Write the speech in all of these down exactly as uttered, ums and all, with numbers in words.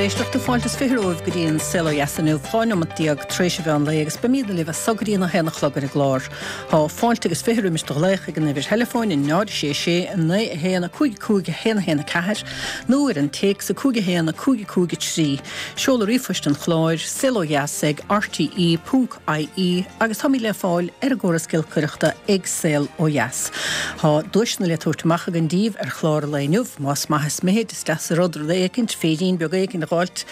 éisteachta fáilte is fiche romhaibh go dtí an Saol Ó Dheas inniu dhá neomat déag tar éis an mheán lae agus beimid libh as so go dtí an a haon a chlog ar an gclár. Tá fáilte agus fiche roimis do ghlaoch ag an uimhir theileafóin in náid sé sé naoi a haon a cúig cúig a haon a haon a ceathair nó ar an téacs a cúig a haon a cúig cúig a trí. Seoladh ríomhphoist an chláir saol ó dheas ag RTE ponc IE agus táimid le fáil ar an gcóras giolcaireachta ag Saol Ó Dheas. Tá duaiseanna le tabhairt amach againn daoibh ar chlár an lae inniu, más maith is mithid is deas an rud rud éicint, féirín beag éicint a dh'fháilt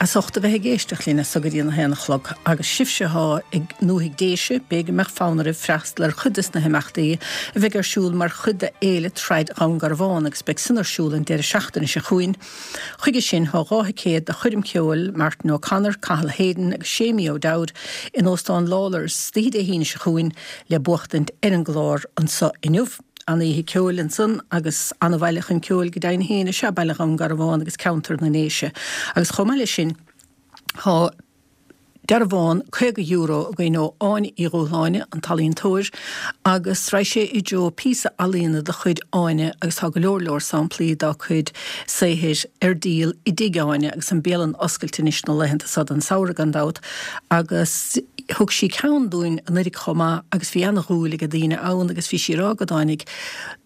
as ucht a bheith ag éisteacht linn as so go dtí an a haon a chlog. Agus sibhse atá i ndúthaigh Déise, b'fhéidir go mbeadh fonn oraibh freastal ar chuid des na himeachtaí a bheidh ar siúl mar chuid de Fhéile Trad Dhún Garbhán agus beidh sin ar siúl an deireadh seachtaine seo chugainn. Chuige sin tá dhá thicéad do choirm ceoil Martin O'Connor, Cathal Hayden agus Séimí O'Dowd in Óstán Lawlor's oíche Dé hAoine seo chugainn le buachtaint ar an gclár anseo inniu. An oíche ceoil ansan agus an-bhaile chun ceoil go deimhin féin is ea Baile Dhún Garbhán agus ceantar na nDéise. Agus chomh maith leis sin tá dearbhán caoga euro againn ó Áine Uí Dhúshláine, an t-ealaíontóir, agus raghaidh sé i dtreo píosa ealaíona de chuid Áine agus tá go leor leor samplaí dá cuid saothair ar díol i dtigh Áine agus an bialann oscailte anois na laethanta seo den samhradh gan dabht agus thug sí ceann dúinn anuraidh chomh maith agus bhí ana-dhúil ag daoine ann agus bhí sí ag rá go dtáinig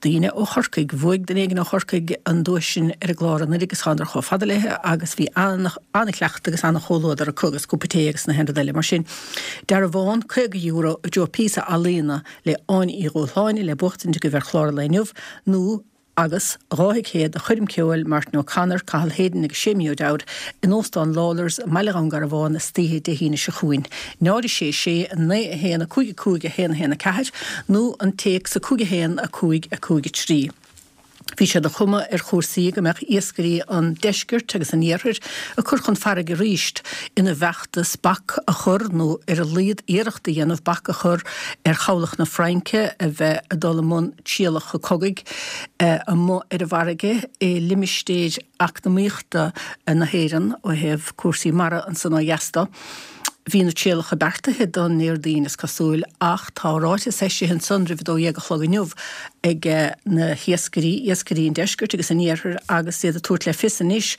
daoine ó Chorcaigh, bhuaigh duine éigin ó Chorcaigh an duais sin ar an gclár anuraidh agus thánadar chomh fada léi agus bhí an-chleachtadh agus an-chomhluadar acu agus cúpla tae agus na haon rud eile. Mar sin, dearbhán caoga euro i dtreo píosa ealaíona le Áine Uí Dhúshláine le buachtaint agaibh ar chlár an lae inniu nó agus dhá thicéad do choirm ceoil Martin O'Connor, Cathal Hayden agus Séimí O'Dowd in Óstán Lawlor's i mBaile Dhún Garbhán istoíche Dé hAoine seo chugainn. náid a sé sé naoi a haon a cúig a cúig a haon a haon a ceathair nó an téacs a cúig a haon a cúig a cúig a trí. Bhí sé de chuma ar chúrsaí go mbeadh iascairí an deiscirt agus an iarthair ag cur chun farraige arís ina bhfeachtas bac a chur nó ar a laghad iarracht a dhéanamh bac a chur ar chabhlach na Fraince a bheith ag dul i mbun trialacha cogaidh amuigh ar an bhfarraige i limistéir eacnamaíochta na hÉireann ó thaobh cúrsaí mara ansan ó dheas de. Bhí na trialacha beartaithe don Déardaoin is cosúil ach tá ráiteas eisithe ansan roimh a dó dhéag a chlog inniu ag na hiascairí, iascairí an deiscirt agus an iarthair agus iad ag tabhairt le fios anois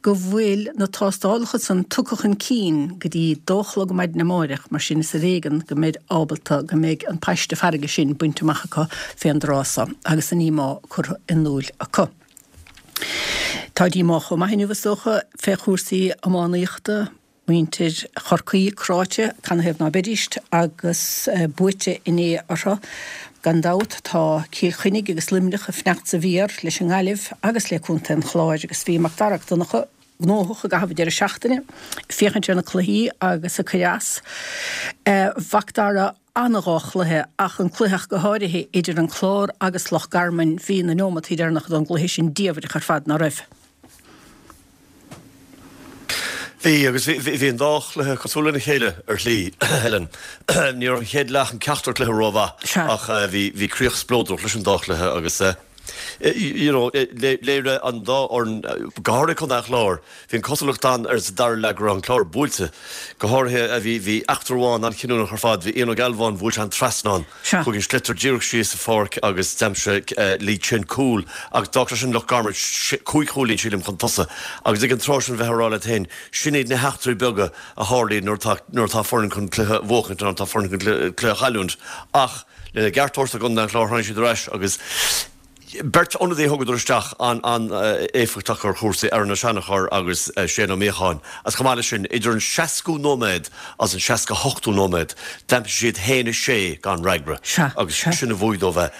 go bhfuil na tástálacha san tugtha chun cinn go dtí dó a chlog maidin amáireach mar sin is ar éigean go mbeid ábalta go mbeidh an paiste farraige sin bainte amach acu fén dtráth so agus a ndíomá curtha in iúil acu. Tá díomá chomh maith inniu is dócha fé chúrsaí iománaíochta, muintir Chorcaí cráite, canathaobh ná beidíst, agus buaite inné orthu. Gan dabht tá Cill Chainnigh agus Luimneach ag fanacht sa mhír leis an nGaillimh agus le Contae an Chláir agus bhí Mac Dara Mac Donncha gnóthach i gcaitheamh an deireadh seachtaine ag féachaint ar na cluichí agus ag cur as. A Mhac Dara, ana-dhá chluiche ach an cluiche ach go háirithe idir an Clár agus Loch Garman, bhí na neomataí deireanacha don gcluiche sin diamhrach ar fad, ná raibh? Bhí, agus bhí an dá chluiche cosúil lena chéile ar shlí, Helen. Ní raibh an chéad leath an ceachtar cluiche rómhaith ach bhí críoch spleodrach leis an dá chluiche agus you know léirigh an dá fhoireann, go háirithe Contae an Chláir, bhí an cosúlacht ann ar sa dara leath go raibh an Clár buailte. Go háirithe bhí eachtra amháin an-chinniúnach ar fad, bhí Ian Ó Gealbháin, bhuail sé an trasnán. Chuaigh an sliotar díreach síos sa pháirc agus d'aimsigh Lee Chin cúl agus d'fhág sé sin Loch Garman cúig chúilín, sílim, chun tosaigh. Agus ag an tráth sin bheith ag rá leat féin, sin iad na heachtraí beaga a tharlaíonn nuair atá nuair atá foireann chun cluiche a bhuachaint nó nuair atá foireann chun cluiche a chailliúint. Ach lena gceart a thabhairt do Chontae an Chláir tháinig siad ar ais agus beirt ionadaí a thugadar isteach an-éifeachtach ar chúrsaí, Aaron Ó Seanchóir agus Shane Ó Míocháin. Agus chomh maith leis sin, idir an seascú nóiméad agus an seasca hochtú nóiméad, d'aimsigh siad haon a sé gan fhreagra agus sin a bhuaigh dóibh é.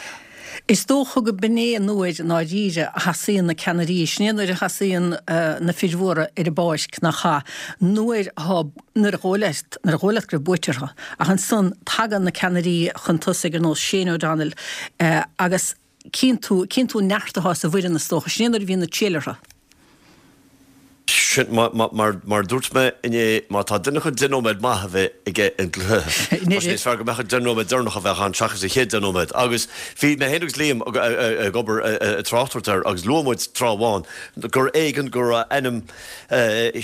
Is dócha go b'in é an uair i ndáiríre a thosaíonn na ceannairí, sin é nuair a thosaíonn na fir mhóra ar an bpáirc, nach ea? Nuair atá, nuair a dhóigh leat, nuair a dhóigh leat go raibh buaite orthu. Ach ansan tagann na ceannairí chun tosaigh ar nós Shane O'Donnell agus Cíonn tú, cíonn tú an neart atá sa bhfoireann is dócha. Sin é nuair a bhíonn an triail orthu. Sin, mar, mar, mar a dúirt mé inné, má tá duine chun deich nóiméad maith a bheith aige i gcluiche, tá sé níos fearr go mbeadh an deich nóiméad deireanach a bheadh ann seachas an chéad deich nóiméad. Agus bhí mé féin agus Liam ag obair, ag tráchtaireacht air agus luaigh muid tráth amháin gur éigean go raibh ainm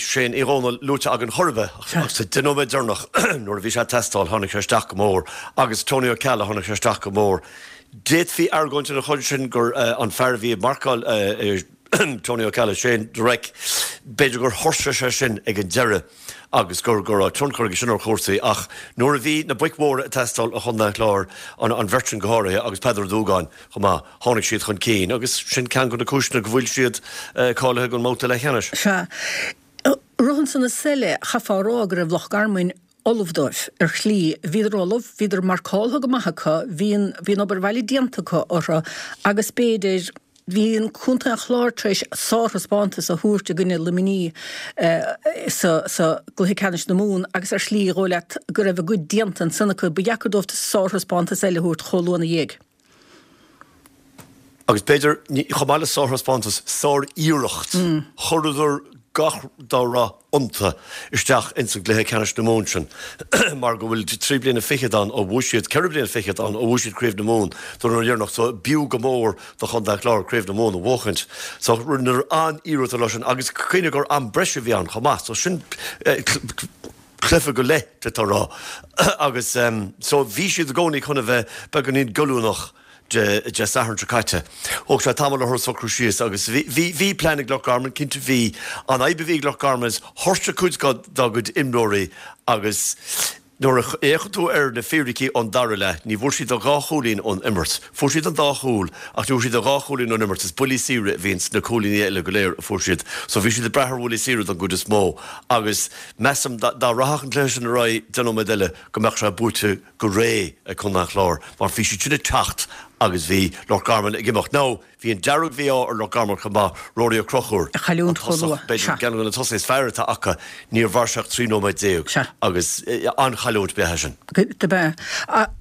Shane Uí Dhomhnaill luaite againn chor ar bith ach sa deich nóiméad deireanach nuair a bhí sé ag teastáil tháinig sé isteach go mór agus Tony Ó Ceallaigh tháinig sé isteach go mór. D'fhéadfaí argóint ina choinne sin gur an fear a bhí ag marcáil Tony Ó Ceallaigh, Shane Direct, b'fhéidir gur thuirsigh sé sin ag an deireadh agus gur go raibh tionchar aige sin ar chúrsaí ach nuair a bhí na boic mhóra ag teastáil ó Chontae an Chláir, an an bheirt sin go háirithe agus Peadar Ó Dúgáin chomh maith, tháinig siad chun cinn agus sin ceann de na cúiseanna go bhfuil siad cáilithe don mbabhta leathcheannais. Sea. Rud ansan is eile, chaithfeá a rá go raibh Loch Garman ullamh dóibh, ar shlí. Bhíodar ullamh, bhíodar marcáltha go maith acu, bhí an, bhí an obair bhaile déanta acu orthu agus b'fhéidir, bhí an Contae an Chláir tar éis sárthaispeántas a thabhairt i gcoinne Luimnigh sa, sa gcluiche ceannais na Mumhan agus ar shlí, dhóigh leat go raibh a gcuid déanta ansan acu, ba dheacair dóibh sárthaispeántas eile a thabhairt chomh luath ina dhiaidh. Agus b'fhéidir, chomh maith le sárthaispeántas, sár-iarracht, chuireadar gach dá raibh iontu isteach ins an gcluiche ceannais na Mumhan sin mar go bhfuil trí bliana fichead ann ó bhuaigh siad, ceithre bliana fichead ann ó bhuaigh siad Craobh na Mumhan don uair dheireanach so b'fhiú go mór do Chontae an Chláir Craobh na Mumhan a bhuachaint. So rinneadar an-iarracht an lá sin agus cuimhnigh gur am breise a bhí ann chomh maith so sin cluiche go leith d'fhéadfá a rá agus so bhí siad i gcónaí chun a bheith beagáinín goilliúnach. Dé Sathairn seo caite. Thóg sé tamall orthu socrú síos agus bhí, bhí plean ag Loch Garman, cinnte bhí. An fhadhb a bhí ag Loch Garman is thuirsigh cuid dá gcuid imreoirí agus nuair a fhéachann tú ar na fíricí ón dara leath, ní bhfuair siad ach dhá chúilín ón imirt. Fuair siad an dá chúl ach ní bhfuair siad ach dhá chúilín ón imirt. Is buillí saoire a bhí ins na cúilíní eile go léir a fuair siad. So bhí siad ag brath ar bhuillí saoire don gcuid is mó agus measaim dá rachadh an cluiche sin ar aghaidh deich nóiméad eile go mbeadh sé buaite go réidh ag Contae an Chláir mar bhí siad sin ag teacht agus bhí Loch Garman ag imeacht. Now, bhí an dearg-mhí-ádh ar Loch Garman chomh maith, Rory Ó Conchúir, A chailliúint an chomh tosach, luath. b'fhéidir Sea. ceann de na tosaithe is fearr atá acu, níor mhair sé ach trí nóiméad déag Sea. agus an-chailliúint ab ea é sin. Dob ea.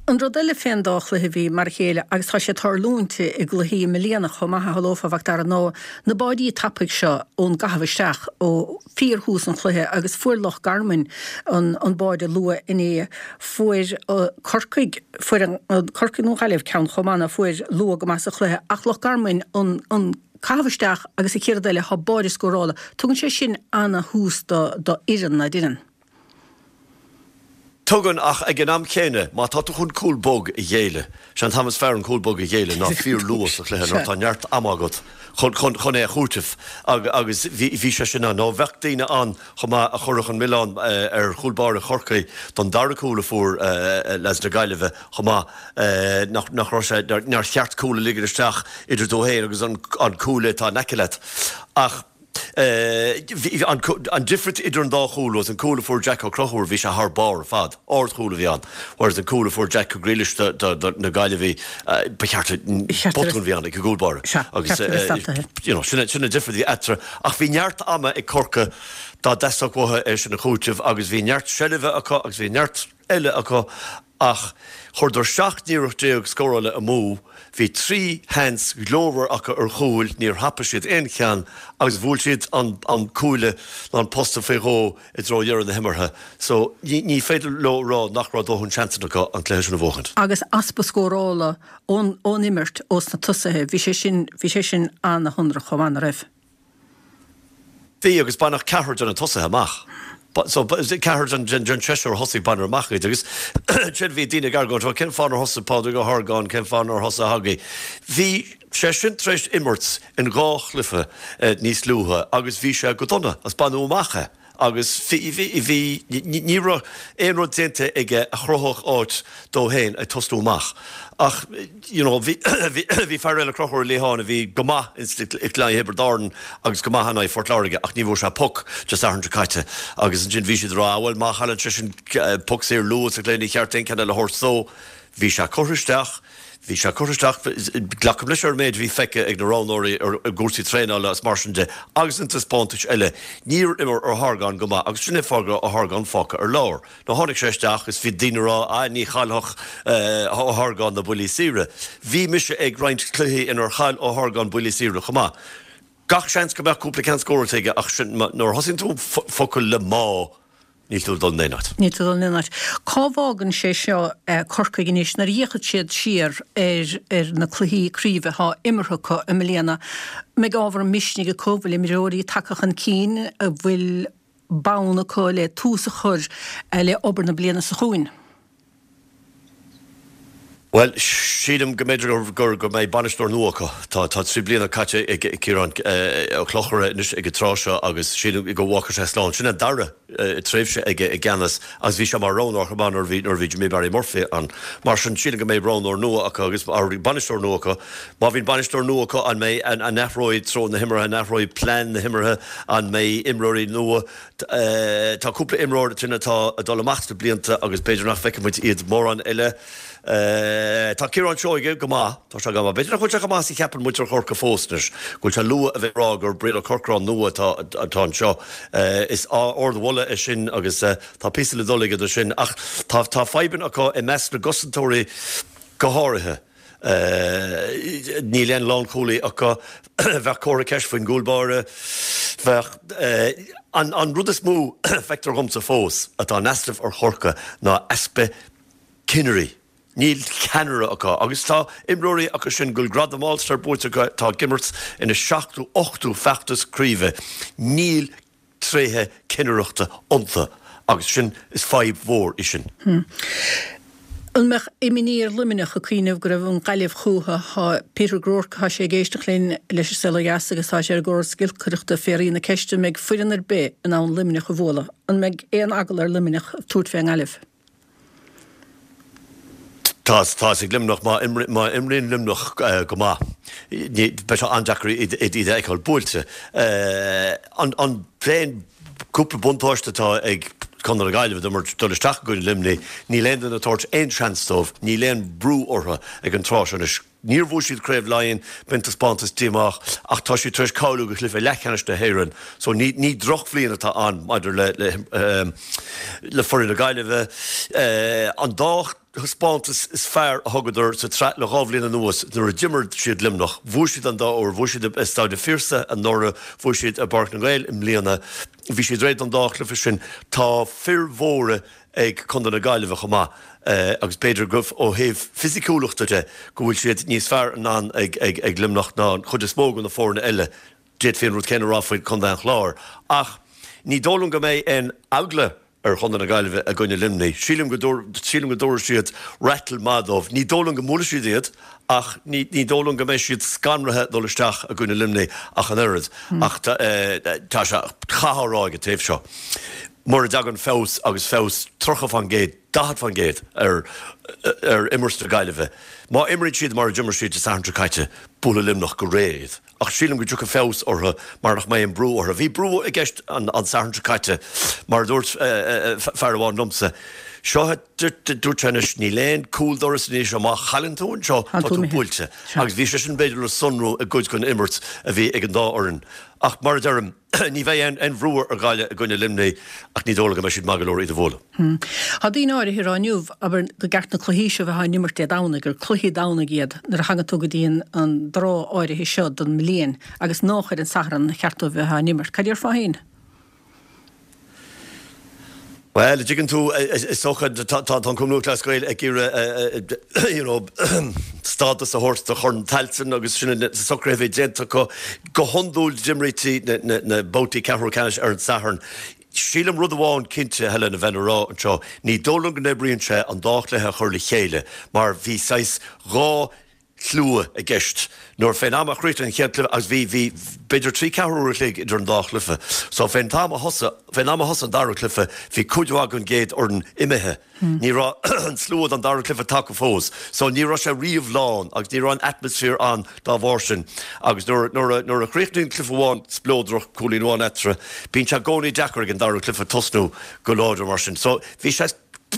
An rud eile fén dá chluiche a bhí mar a chéile agus tá sé ag tarlúint i gcluichí i mbliana chomh maith a shamhlófá, a Mhac Dara, ná na báidí tapaidh seo ón gcaitheamh isteach ó fíorthús an chluiche agus fuair Loch Garman an an báide luath inné. Fuair Corcaigh, fuair an Corcaigh nó Gaillimh ceann chomh maith ná fuair luath go maith sa chluiche ach Loch Garman an an caitheamh isteach agus an chéad rud eile thá báide scórála. Tugann sé sin ana-thús do do fhoireann ná deireann. Tugann, ach ag an am chéanna, má tá tú chun cúl bog a ghéilleadh, sé an t-am is fearr an cúl bog a ghéilleadh ná fíor luath sa chluiche nuair atá neart ama agat chun chun chun é a chúiteamh agus bhí bhí sé sin ann. Nó bheadh daoine ann chomh maith a chuirfeadh an milleán ar chúl báire Chorcaí don dara cúl a fuair leaids na Gaillimhe chomh maith, nach nach raibh sé, nár cheart cúl a ligean isteach idir tú féin agus an an cuaille atá in aice leat. Ach. Bhí an difríocht idir an dá chúl was an cúl a fuair Jack Ó Conchúir, bhí sé thar barr ar fad, ardchúl a bhí ann, whereas an cúl a fuair Jack Ó Griallais do na Gaillimhigh, ba cheart botún a bhí ann ag an gcúl báire. Agus you know sin an difríocht a bhí eatarthu. Ach bhí neart ama ag Corcaigh dá dteastódh uathu é sin a chúiteamh agus bhí neart seilbhe acu agus bhí neart eile acu Ach chuireadar seacht n-iarracht déag scórála amú, bhí trí sheans ghlórmhar acu ar chúil, níor thapaigh siad aon cheann agus bhuail siad an cuaille ná an posta faoi dhó i dtreo dheireadh na himeartha. So ní féidir leo a rá nach raibh dóthain seansanna acu an cluiche sin a bhuachaint. Agus easpa scórála ón imirt ós na tosaithe, bhí sé sin, bhí sé sin ana-shonrach chomh maith, ná raibh? Bhí, agus baineadh ceathrar de na tosaithe amach. So, ceathrar den seisear a thosaigh, baineadh amach iad. Agus ansin bhí daoine ag argóint, bhuel, cén fáth nár thosaigh Pádraig Ó hArgáin, cén fáth nár thosaigh Hoggy? Bhí sé sin tar éis imirt in dhá chluiche níos luaithe agus bhí sé go dona, agus baineadh amach é. Agus bhí, ní raibh aon rud déanta aige a chruthódh áit dó féin ag tosnú amach. Ach, you know, bhí, bhí fear eile, Conchúr Ó Liatháin, a bhí go maith i gcluiche Thiobraid Árann agus go maith in aghaidh Phort Láirge ach ní bhfuair sé poc Dé Sathairn seo caite. Agus ansin bhí siad ag rá, ah bhuel, má chailleann seisean poc saor luath sa chluiche ní cheart aon cheann eile a thabhairt dó. Bhí sé curtha isteach, bhí sé curtha isteach, glacaim leis ar an méid a bhí feicthe ag na roghnóirí i gcúrsaí traenála agus mar sin de agus na taispeántais eile, níor imir Ó hArgáin go maith agus sin é fáth go raibh Ó hArgáin fágtha ar lár. Now tháinig sé isteach is bhí daoine ag rá ah ní chaillfeadh Ó hArgáin na buillí saoire. Bhí mise ag roinnt cluichí inar chaill Ó hArgáin buillí saoire chomh maith. Gach seans go mbeadh cúpla ceann scóráilte aige ach sin, nuair a thosaíonn tú focal le má, Níl tú ag dul in aon áit. Níl tú ag dul in aon áit. Cá bhfágann sé seo Corcaigh anois nuair a fhéachann siad siar ar ar na cluichí craoibhe atá imeartha acu i mbliana? An mbeidh ábhar misnigh acu? Bhfuil imreoirí tagtha chun cinn? An bhfuil bonn acu le tús a chur le obair na bliana seo chugainn? Bhuel, sílim go mb'fhéidir gur go mbeidh bainisteoir nua acu. Tá tá trí bliana caite ag Ciarán Ó Clochaire anois ag an tráth seo agus sílim go bhfágfaidh sé slán. Sin an dara tréimhse aige i gceannas agus bhí sé mar roghnóir chomh maith nuair a bhí nuair a bhí Jimmy Barry Murphy ann. Mar sin sílim go mbeidh roghnóir nua acu agus bainisteoir nua acu. Má bhíonn bainisteoir nua acu an mbeidh an an athróidh treo na himeartha, an athróidh plean na himeartha, an mbeidh imreoirí nua. Tá cúpla imreoir sin atá ag dul amach sna blianta agus b'fhéidir nach bhfeicfidh muid iad mórán eile. Tá Ciarán Seoige go maith, tá sé go maith. B'fhéidir nach bhfuil sé chomh maith is a cheapann muintir Chorcaí fós anois, go bhfuil sé luath a bheith ag rá gur Brian Ó Corcráin nua atá atá anseo. Is ardmholadh é sin agus tá píosa le dul aige do sin. Ach tá tá fadhbanna acu i measc na gcosantóirí go háirithe. Níl aon lánchúlaí acu. Bheadh comhartha ceiste faoin gcúl báire. Bheadh an an rud is mó feictear dhomsa fós atá in easnamh ar Chorcaigh ná easpa cinnirí. Níl ceannaire acu agus tá imreoirí acu sin go bhfuil gradam All-Star buaite acu atá ag imirt ina seachtú, ochtú feachtas craoibhe. Níl tréithe cinnireachta iontu agus sin, is fadhb mhór í sin. An mbeadh imní ar Luimneach ag cuimhneamh go raibh an Ghaillimh chúthu? Tá Peter Groarke, tá sé ag éisteacht linn leis an Saol Ó Dheas agus tá sé ar an gcóras giolcaireachta ag fiafraí na ceiste an mbeidh foireann ar bith in ann Luimneach a bhualadh? An mbeidh aon eagla ar Luimneach tabhairt fén nGaillimh? Tá tá's ag Luimneach, má imríonn Luimneach go maith, beidh sé an-deacair iad a fheiceáil buailte. An t-aon cúpla buntáiste atá ag Contae na Gaillimhe dul isteach i gcoinne Luimnigh, níl aon duine ag tabhairt aon seans dóibh, níl aon brú orthu ag an tráth seo anois. Níor bhuaigh siad Craobh Laighean, b'in taispeántas díomách, ach tá siad tar éis cáiliú go chluiche leathcheannais na hÉireann so ní ní drochbhliain atá ann maidir le le le foireann na Gaillimhe. An dá thaispeántas is fearr a thugadar sa tsraith le dhá bhliain anuas nuair a d'imir siad Luimneach, bhuaigh siad an dá uair, bhuaigh siad i Staid an Phiarsaigh anuraidh, bhuaigh siad i bPáirc na nGael i mbliana. Bhí siad réidh don dá chluiche sin. Tá fir mhóra ag Contae na Gaillimhe chomh maith agus b'fhéidir go ó thaobh fisiciúlachta de go bhfuil siad níos fearr in ann ag ag Luimneach ná an chuid is mó de na foirne eile. D'fhéadfaí an rud céanna a rá faoi Chontae an Chláir. Ach ní dóigh liom go mbeidh aon eagla ar Chontae na Gaillimhe i gcoinne Luimnigh. Sílim go sílim go dtabharfaidh siad rattle maith dóibh. Ní dóigh liom go mbuailfidh siad iad ach ní ní dóigh liom go mbeidh siad scanraithe dul isteach i gcoinne Luimnigh ach an oiread. Ach tá sé chaithfeá a rá ag an taobh seo. Mura dtagann feabhas agus feabhas tríocha faoin gcéad, daichead faoin gcéad ar ar imirt na Gaillimhe, má imríonn siad mar a d'imir siad Dé Sathairn seo caite, buailfidh Luimneach go réidh iad. Ach sílim go dtiocfaidh feabhas orthu mar nach mbeidh an brú orthu. Bhí brú i gceist an Satharn seo caite, mar a dúirt fear amháin liomsa, seo a dúirt sé anois, níl aon cúl doras anois, má chailleann tú anseo, tá tú buailte. Agus bhí sé sin b'fhéidir le sonrú i gcuid den imirt a bhí ag an dá fhoireann. Ach mar a deirim, ní bheidh aon bhrú ar Ghaillimh i gcoinne Luimnigh ach ní dóigh liom go mbeidh siad maith go leor iad a bhualadh. Tá daoine áirithe ag rá inniu, abair, gur ceart na cluichí seo a bheith á n-imirt Dé Domhnaigh, gur cluichí Domhnaigh iad nuair a thagann tú go dtí an dtráth áirithe seo den mbliain agus nách ar an Satharn a cheart dóibh a bheith á n-imirt. Cad déarfá féin? Bhuel, an dtuigeann tú, is dócha, tá an Cumann Lúthchleas Gael ag iarraidh you know stádas a thabhairt do Chorn Tailteann agus sin na socruithe a bhí déanta acu. Go hiondúil d'imrítí na babhtaí ceathrú ceannais ar an Satharn. Sílim rud amháin cinnte, Helen, a bheinn a rá anseo, ní dóigh liom go n-oibríonn sé an dá chluiche a chur le chéile mar bhí saghas dhá shlua i gceist nuair fén am a chríochnaigh an chéad chluiche agus bhí, bhí b'fhéidir trí ceathrú uair a chloig idir an dá chluiche. So fén t-am a thosaigh, fén am a thosaigh an dara cluiche bhí cuid mhaith den gcéad fhoireann imithe. Ní raibh an slua don dara cluiche tagtha fós. So ní raibh sé riamh lán agus ní raibh an atmaisféar ann dá bharr sin. Agus nuair, nuair a, nuair a chríochnaíonn cluiche amháin spleodrach, cúilín amháin eatarthu, bíonn sé i gcónaí deacair ag an dara cluiche tosnú go láidir mar sin. So bhí sé.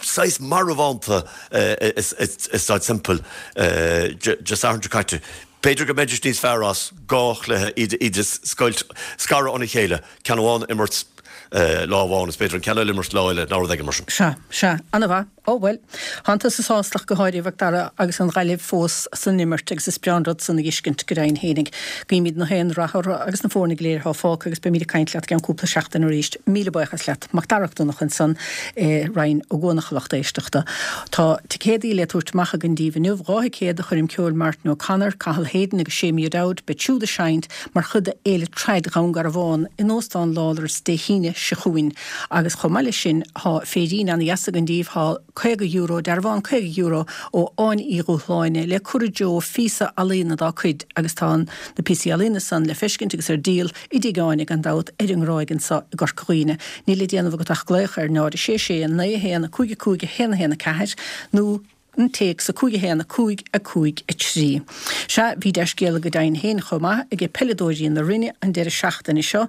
saghas marbhánta i Staid Semple Dé Sathairn seo caite. B'fhéidir go mbeidís níos fearr as dhá chluiche, iad a scoilt, scaradh óna chéile, ceann amháin a imirt lá amháin is b'fhéidir an ceann eile a imirt lá eile nó rud éigin mar sin. Sea, sea. Ana-mhaith. Ó, bhuel, tánn tusa sásta ach go háirithe, a Mhac Dara, agus an Ghaillimh fós san imirt agus is breá an rud san a dh'fheiscint go deimhin fhéinig. Guímid na haon rath orthu agus na foirne go léir atá fágtha agus beimid ag caint leat i gceann cúpla seachtain arís. Míle buíochas leat. Mac Dara Mac Donncha ansan i Rinn Ó gCuanach a lucht éisteachta. Tá ticéadaí le tabhairt amach againn daoibh inniu, dhá thicéad do choirm ceoil Martin O'Connor, Cathal Hayden agus Séimí O'Dowd, beid siúd ag seinnt mar chuid de Fhéile Trad Dhún Garbhán in Óstán Lawlor's Dé hAoine seo chugainn agus chomh maith leis sin tá féirín ana-dheas againn daoibh, tá. caoga euro, dearbhán caoga euro ó Áine Uí Dhúshláine le cur i dtreo phíosa ealaíona dá cuid agus tá na píosaí ealaíona san le feiscint agus ar díol i dTigh Áine gan dabht ar an nGráig anso i gCorca Dhuibhne. Níl le déanamh agat ach glaoch ar náid a sé sé naoi a haon a cúig a cúig a haon a haon a ceathair nó an téacs a cúig a haon a cúig a cúig a trí. Sea, bhí dea-scéala go deimhin féin chomh maith ag peileadóirí na Rinne an deireadh seachtaine seo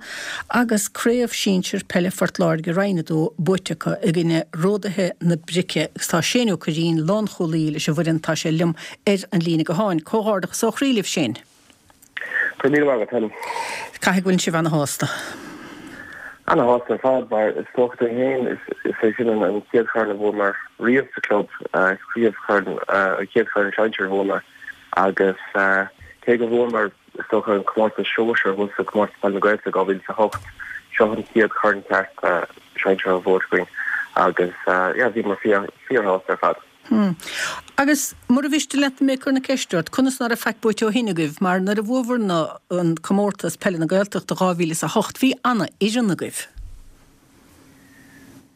agus Craobh Sinsir Peile Phort Láirge Roinn a dó buaite acu i gcoinne Ródaithe na Brice agus tá Shane Ó Curraoin, lánchúlaí leis an bhfoireann, tá sé liom ar an líne gutháin. Comhghairdeachas ó chroí libh, Shane. Go raibh míle maith agat, Helen. Caithfidh go bhfuil sibh ana-shásta. Ana-shásta ar fad, mar is dócha dúinn féin, is é sin an chéad chorn a bhuamar riamh sa chlub, chéad chorn, an chéad chorn sinsir a bhuamar agus cé go bhfuamar is dócha an comórtas sóisir thuas sa Comórtas Peile na Gaeltachta dhá mhíle is a hocht, seo an chéad chorn ceart sinsir a bhuaite againn agus yeah bhíomar fíor-shásta ar fad. Hmm. Agus mura mhiste leat mé ag cur na ceiste ort, conas ná raibh faic buaite ó shin agaibh? Mar nuair a bhuabhair na an comórtas Peile na Gaeltachta dhá mhíle is a hocht, bhí ana fhoireann agaibh.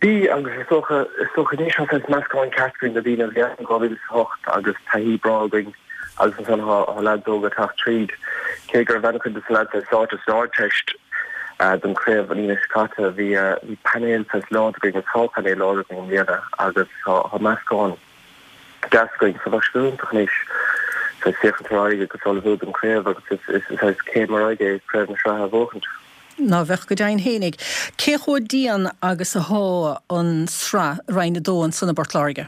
Bhí, agus is dócha, is dócha anois tá saghas meascán ceart againn de daoine a bhí ann dhá mhíle is a hocht agus taithí breá againn agus ansan tá tá leaids óga ag teacht tríd. Cé go raibh an-chuid de na leaids sáite san Ardteist don chraobh an Aoine seo caite, bhí bhí painéal saghas láidir againn agus tá painéal láidir againn i mbliana agus tá tá meascán deas againn. So bheadh sé go hiontach anois saghas féachaint ar aghaidh agus ullmhú don chraobh agus is is saghas céim ar aghaidh é craobh na sraithe a bhuachaint. Ná bheadh go deimhin fhéinig. Cé chomh dian agus athá an sraith Roinn a dó ansan i bPort Láirge?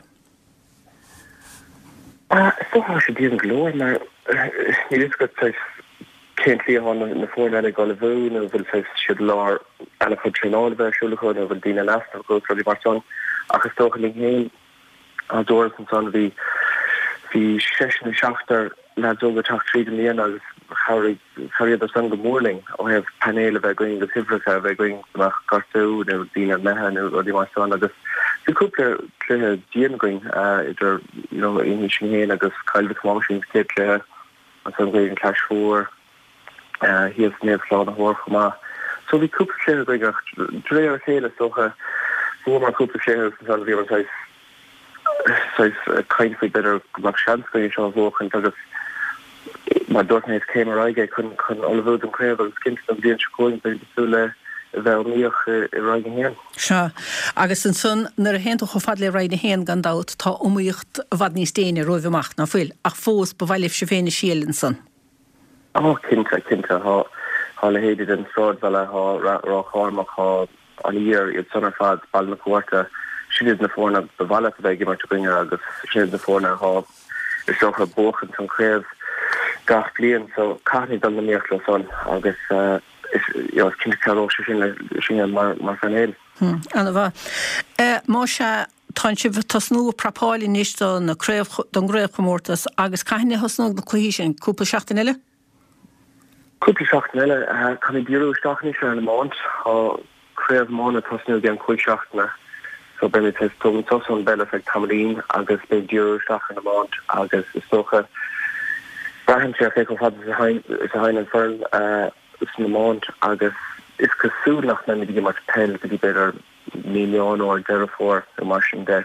Is dócha tá sé dian go leor mar níl fhios agat saghas cén tslí atá na foirne eile ag ullmhú nó an bhfuil saghas siad i lár an-chuid traenála a bheith ar siúl acu nó an bhfuil daoine in easnamh acu agus rudaí mar san. Ach is dócha linn féin Á dúras ansan bhí bhí seisear nó seachtar leaids óga ag teacht tríd i mbliana agus chabhraigh chabhraíodar san go mór linn ó thaobh painéil a bheith againn agus uimhreacha a bheith againn go mbeadh gortú nó daoine imithe nó rudaí mar san agus bhí cúpla cluiche dian againn idir you know sinn féin agus Cill Mhic Thomáis sa chéad cluiche ansan chuaigh an Clais Mhór thíos Naomh Slánaitheoir chomh maith. So bhí cúpla cluiche againn ach de réir a chéile is dócha bhuamar cúpla cluiche agus ansan bhíomar saghas saghas ag caint faoi b'fhéidir go mbeadh seans againn é seo a bhuachaint agus mar dúirt mé is céim ar aghaidh é chun chun ullmhú don chraobh agus cinnte don bhliain seo chugainn beidh ag súil le a bheith iomaíoch i i Roinn a haon. Sea. Agus ansan nuair a théann tú chomh fada le Roinn a haon gan dabht tá iomaíocht i bhfad níos déine romhaibh amach, ná fuil? Ach fós ba mhaith libhse féin a thriail ansan. Ó, cinnte, cinnte. Tá, tá leithéidí den Sráidbhaile, tá Ráth Cairmeach, tá An Iar, iad san ar fad, Baile na Cuarta, sin iad na foirne ba mhaith leat a bheith ag imirt i gcoinne agus sin iad na foirne atá, is dócha, ag buachaint an chraobh gach bliain. So, caithfimid dul in iomaíocht leo san agus is, you know, is cinnte cabhróidh sé sin le, sinne mar, mar phainéal. Hmm, ana-mhaith. Más ea, Tánn sibh ag tosnú ag prapáil anois do na craobh, don gcraobhchomórtas agus cathain a thosnóidh na cluichí sin? Cúpla seachtain eile? Cúpla seachtain eile. Caithfimid díriú isteach anois ar an iomáint. Tá craobh iomána ag tosnú i gceann cúig seachtaine so beimid ag tógaint sos ón bpeil ar feadh tamaillín agus beidh díriú isteach ar an iomáint agus is dócha braitheann sé ar cé chomh fada is a théann an foireann san iomáint agus is cosúil nach mbeimid ag imirt peil go dtí b'fhéidir mí Meán Fómhair, Deireadh Fómhair nó mar sin de.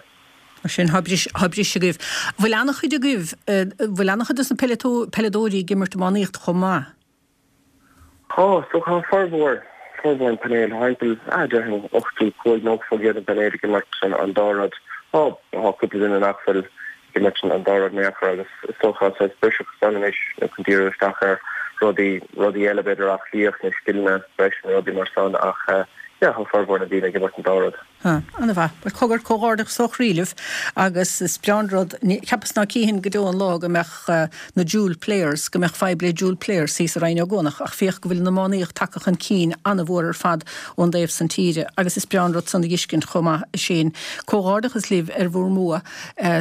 Mar sin, tá briseadh agaibh. Bhfuil an-chuid agaibh, bhfuil an-chuid dos na peileadóirí ag imirt iománaíocht chomh maith? Tá, so tá formhór, formhór an painéil, tá timpeall, ah, déarfainn ochtó cúig, nócha faoin gcéad den bpainéal ag imirt an dá rud. Tá, tá cúpla duine nach bhfuil ag imirt an dá rud in aon chor agus is dócha saghas briseadh ansan anois nó chun díriú isteach ar rudaí, rudaí eile b'fhéidir aclaíocht nó scileanna breise nó rudaí mar san ach yeah tá formhór na daoine ag imirt an dá rud. Ah, ana-mhaith. Bhuel cogar, comhghairdeachas ó chroí libh agus is breá an rud, cheapas ná cífinn go deo an lá go mbeadh na dual players, go mbeadh fadhb le dual players thíos i Rinn Ó gCuanach ach féach go bhfuil an iománaíocht tagtha chun cinn ana-mhór ar fad ón dtaobh san tíre agus is breá an rud san a dh'fheiscint chomh maith a Shane. Comhghairdeachas libh ar bhur mbua.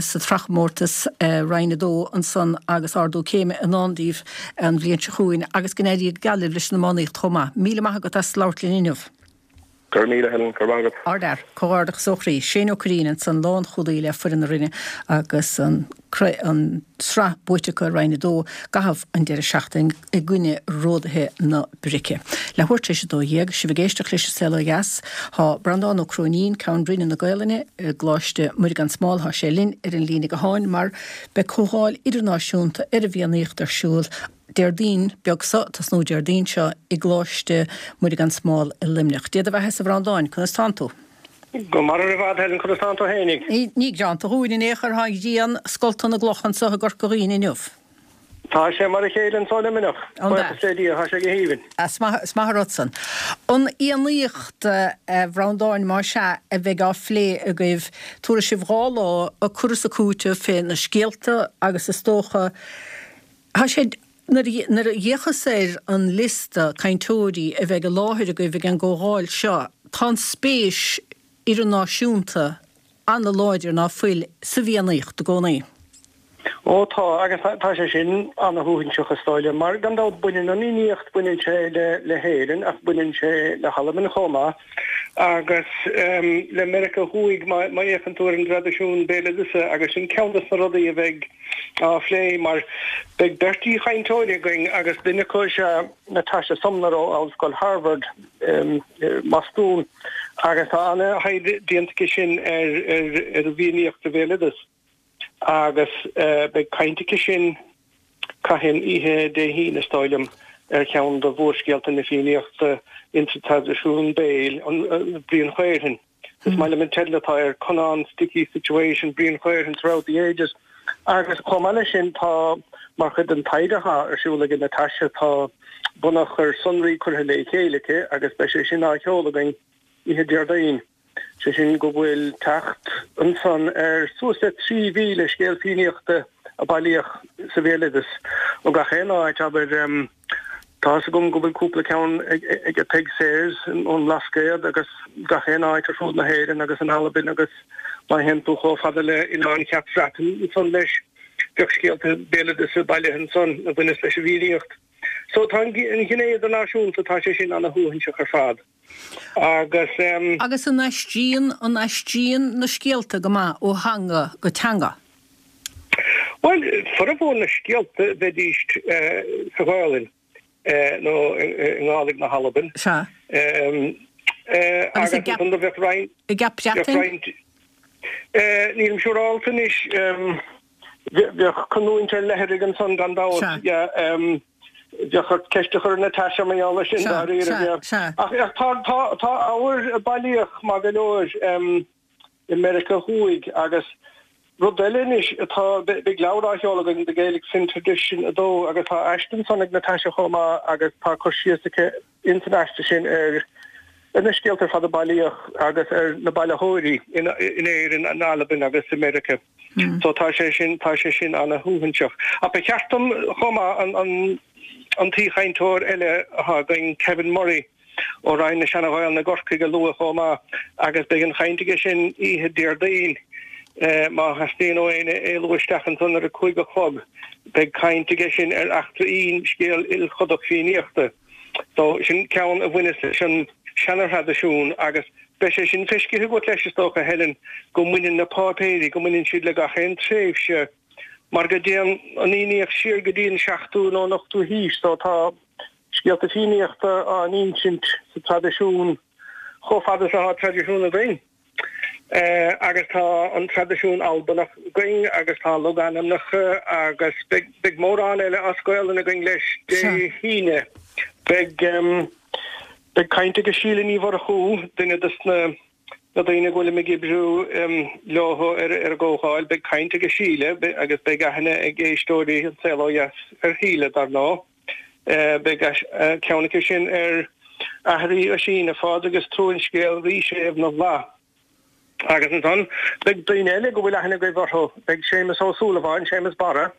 sa tsraithchomórtas Roinn a dó ansan agus ardú céime i ndán daoibh an bhliain seo chugainn agus go n-éirí go geal libh leis an iománaíocht chomh maith. Míle maith agat as labhairt linn inniu. Go raibh míle, Helen, go raibh maith agat. Ardfhear, comhghairdeachas ó chroí. Shane Ó Curraoin ansan, lánchúlaí le foireann na Rinne agus an an tsraith buaite acu i Roinn a dó i gcaitheamh an deireadh seachtaine i gcoinne Ródaithe na Brice. Leathuair tar éis a dó dhéag, sibh ag éisteacht leis an Saol Ó Dheas. Tá Breandán Ó Cróinín, Ceann Roinne na Gaelainne i gColáiste Muire gan Smál, tá sé linn ar an líne gutháin mar beidh comhdháil idirnáisiúnta ar an bhFiannaíocht ar siúl Déardaoin beag seo, tosnú Déardaoin seo i gColáiste Muire gan Smál i Luimneach. Dia do bheatha-sa a Bhreandáin, conas tánn tú? Go maith ar fad, Helen, conas tánn tú fhéinig? Ní greanta dhúinn in aon chor, tá an ghrian scolta na gcloch anso i gCorca Dhuibhne inniu. Tá sé mar a chéile anso i Luimneach, buíochas le Dia, tá sé go haoibhinn. Is maith an rud san. An Fhiannaíocht, a Bhreandáin, más ea, a bheidh á phlé agaibh, tabharfaidh sibh dhá lá ag cur is ag cúiteamh fé na scéalta agus is dócha, tá sé, nuair a d'fhéachas ar an liosta cainteoirí a bheidh i láthair agaibh ag an gcomhdháil seo, tá an spéis idirnáisiúnta an-láidir ná fuil sa bhFiannaíocht i gcónaí. Ó tá, agus tá sé sin ana-shuaithinseach is dóigh liom, mar gan dabht baineann an Fhiannaíocht, baineann sé le hÉirinn ach baineann sé le hAlbain chomh maith agus le Meiriceá Thuaidh má fhéachann tú ar an dtraidisiún béaloideasa agus sin ceann de na rudaí a bheidh á phlé mar beidh beirt aoichainteoirí againn agus duine acu is ea Natasha Sumner ó Ollscoil Harvard i mBostún agus tá ana-thaighde déanta aici sin ar ar an bhFiannaíocht sa bhéaloideas agus beidh caint aici sin cathain oíche Dé hAoine is dóigh liom ar cheann de mhórscéalta na Fiannaíochta insa traidisiún béil, an Brian Chaorthainn. Is maith liom an teideal atá air, Conán's Sticky Situation, Brian Chaorthainn Throughout the Ages. Agus chomh maith leis sin tá, mar chuid den taighde atá ar siúl ag Natasha, tá bunachar sonraí curtha le chéile aici agus beidh sé sin á sheoladh againn oíche Déardaoin. Sé sin go bhfuil teacht ansan ar suas le trí mhíle scéal Fiannaíochta a bailíodh sa bhéaloideas ó gach aon áit, abair. Tá fhios agam go bhfuil cúpla ceann ag Peig Sayers ón mBlascaod agus gach aon áit ar fud na hÉireann agus in Albain agus má théann tú chomh fada le Oileán Cheap Bhreatainn ansan leis, bheadh scéalta béaloideasa bailithe ansan a bhaineas leis an bhFiannaíocht. So tá an ghné idirnáisiúnta, tá sé sin ana-shuaithinseach ar fad agus. Agus an aistríonn, an aistríonn na scéalta go maith ó theanga go teanga? Bhuel, formhór na scéalta bheidís sa Ghaelainn nó i nGàidhlig na hAlban. Sea. Agus i gCeap Breatainn? Nílim siúrálta anois. Bheadh canúint ar leithrigh ansan gan dabht. Bheadh ort ceist a chur ar Natasha mar gheall air sin dáiríre. Ach tá ábhar a bailíodh maith go leor. i Meiriceá Thuaidh agus rud eile anois atá, beidh leabhar á sheoladh againn, The Gaelic Finn Tradition a dó agus tá aiste ansan ag Natasha chomh maith agus tá cur síos aici ins an aiste sin ar ar na scéalta ar fad a bailíodh agus ar na bailitheoirí in in Éirinn, in Albain agus i Meiriceá. So tá sé sin, tá sé sin ana-shuaithinseach. Ach ba cheart dom chomh maith an an an t-aoichainteoir eile atá againn, Kevin Murray, ó Roinn na Seana-Ghaelainne i gCorcaigh a lua chomh maith agus beidh an chaint aige sin oíche Déardaoin. Má theastaíonn ó éinne éalú isteach ansan ar a cúig a chlog beidh caint aige sin ar Eachtra Fhinn, scéal ilchodach Fiannaíochta. So sin ceann a bhaineas leis an seana-thraidisiún agus beidh sé sin feiscithe agat leis is dócha, Helen, go mbaineann na páipéirí, go mbaineann siad le gach aon tréimhse mar go dtéann an Fhiannaíocht siar go dtí an seachtú nó an ochtú haois so tá Scéalta Fiannaíochta á n-insint sa traidisiún chomh fada is atá traidisiún againn. Agus tá an traidisiún Albanach againn agus tá logainmneacha agus beidh mórán eile as Gaolainn againn leis Dé hAoine. Beidh beidh caint ag Síle Ní Mhurchú, duine de na na daoine go bhfuilim ag oibriú leo ar an gcomhdháil, beidh caint ag Síle agus beidh aithne ag éisteoirí An Saol Ó Dheas ar Shíle, dar ndóigh. Beidh ceann aici sin ar Aithrí Oisín, a Phádraig is trua an scéal Rí Séimh na bhFlaith. Agus ansan beidh daoine eile go bhfuil aithne agaibh orthu, beidh Séamus Ó Súilleabháin, Séamus Barra,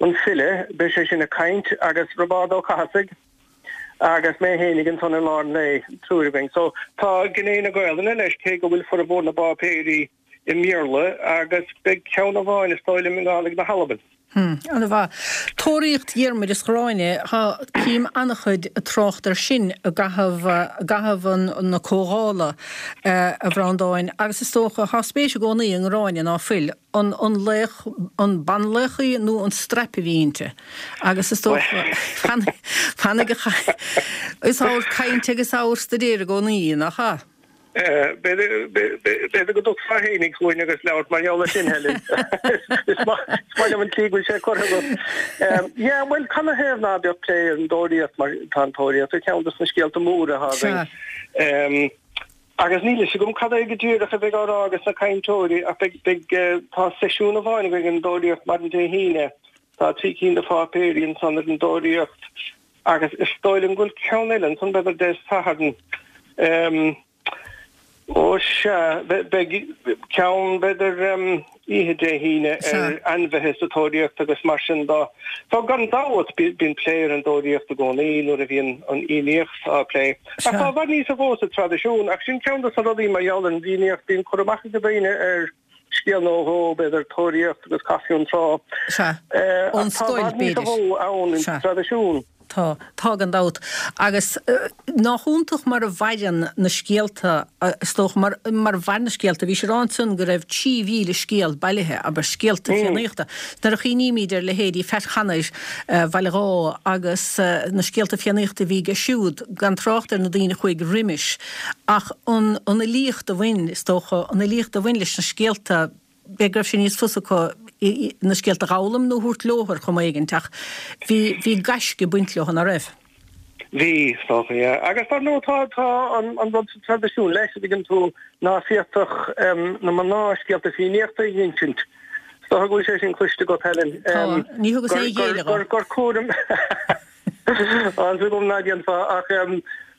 an file, beidh sé sin ag caint, agus Roibeárd Ó Cathasaigh agus mé fhéinig ansan i lár an lae, triúr againn. So tá gné na Gaolainne leis, cé go bhfuil formhór na bpáipéirí i mBéarla, agus beidh ceann amháin is dóigh liom i nGàidhlig na hAlban. Hmm, ana-mhaith. Tóraíocht Dhiarmaid is Ghráinne, tá, cím an-chuid trácht air sin i gcaitheamh, i gcaitheamh na comhdhála, a Bhreandáin, agus is dócha, tá spéis i gcónaí i nGráinne, ná fuil? An, an laoch, an banlaoch í nó an straip a bhí inti? Agus is dócha, fanfaidh, is ábhar cainte agus ábhar staidéir i gcónaí í, nach ea? B'fhéidir go dtiocfá fhéinig chugainn agus labhairt mar gheall air sin, Helen. Is maith liom an tslí go bhfuil sé curtha agat. Yeah, bhuel, canathaobh ná beadh plé ar an dtóraíocht mar tá an tóraíocht ar cheann de na scéalta móra atá againn. Agus níl fhios agam cad é go díreach a bheidh á rá ages na cainteoirí ach beidh, beidh, tá seisiún amháin againn ar an dtóraíocht maidin Dé hAoine. Tá trí cinn de pháipéirí ansan ar an dtóraíocht agus is dóigh liom go bhfuil ceann eile ansan b'fhéidir Dé Sathairn. Ó sea, beidh ceann b'fhéidir oíche Dé hAoine ar ainmhithe sa tóraíocht agus mar sin de. So gan dabht bíonn plé ar an dtóraíocht i gcónaí nuair a bhíonn an Fhiannaíocht á plé. Ach tá i bhfad níos mó sa traidisiún ach sin ceann de na rudaí mar gheall ar an bhFiannaíocht, bíonn cur amach ag daoine ar scéal nó dhó, b'fhéidir tóraíocht agus Cath Fionntrá. Sea, ón Ach tá i scoil, bhfad níos b'fhéidir. mó ann Sea. sa traidisiún. Tá, tá gan dabht. Agus nách iontach mar a mhaireann na scéalta, is dócha, mar, mar a mhair na scéalta. Bhís ag rá ansan go raibh trí mhíle scéal bailithe, abair, scéalta Fiannaíochta. Nuair a chuimhnímid ar leithéidí Phat Chanair Bhaile Dháith agus na scéalta Fiannaíochta a bhí aige siúd, gan trácht ar na daoine a chuaigh roimis, ach an, an fhilíocht a bhain, is dócha, an fhilíocht a bhain leis na scéalta, b'fhéidir go raibh sé níos fusa acu na scéalta a dh'fhoghlaim nó a thabhairt leo ar chuma éigint ach bhí, bhí gaisce ag baint leo, ná raibh? Bhí, is dócha, yeah. Agus dar ndóigh tá, tá an, an rud sa traidisiún leis, a dtuigeann tú, ná féadfadh na mná scéalta Fiannaíochta a dh'insint. Is dócha go bhfuil sé sin cloiste agat, Helen. Tá, ní thugas aon ghéilleadh gur, dhó. gur, gur cúram Tá a fhios agam ná déanfá ach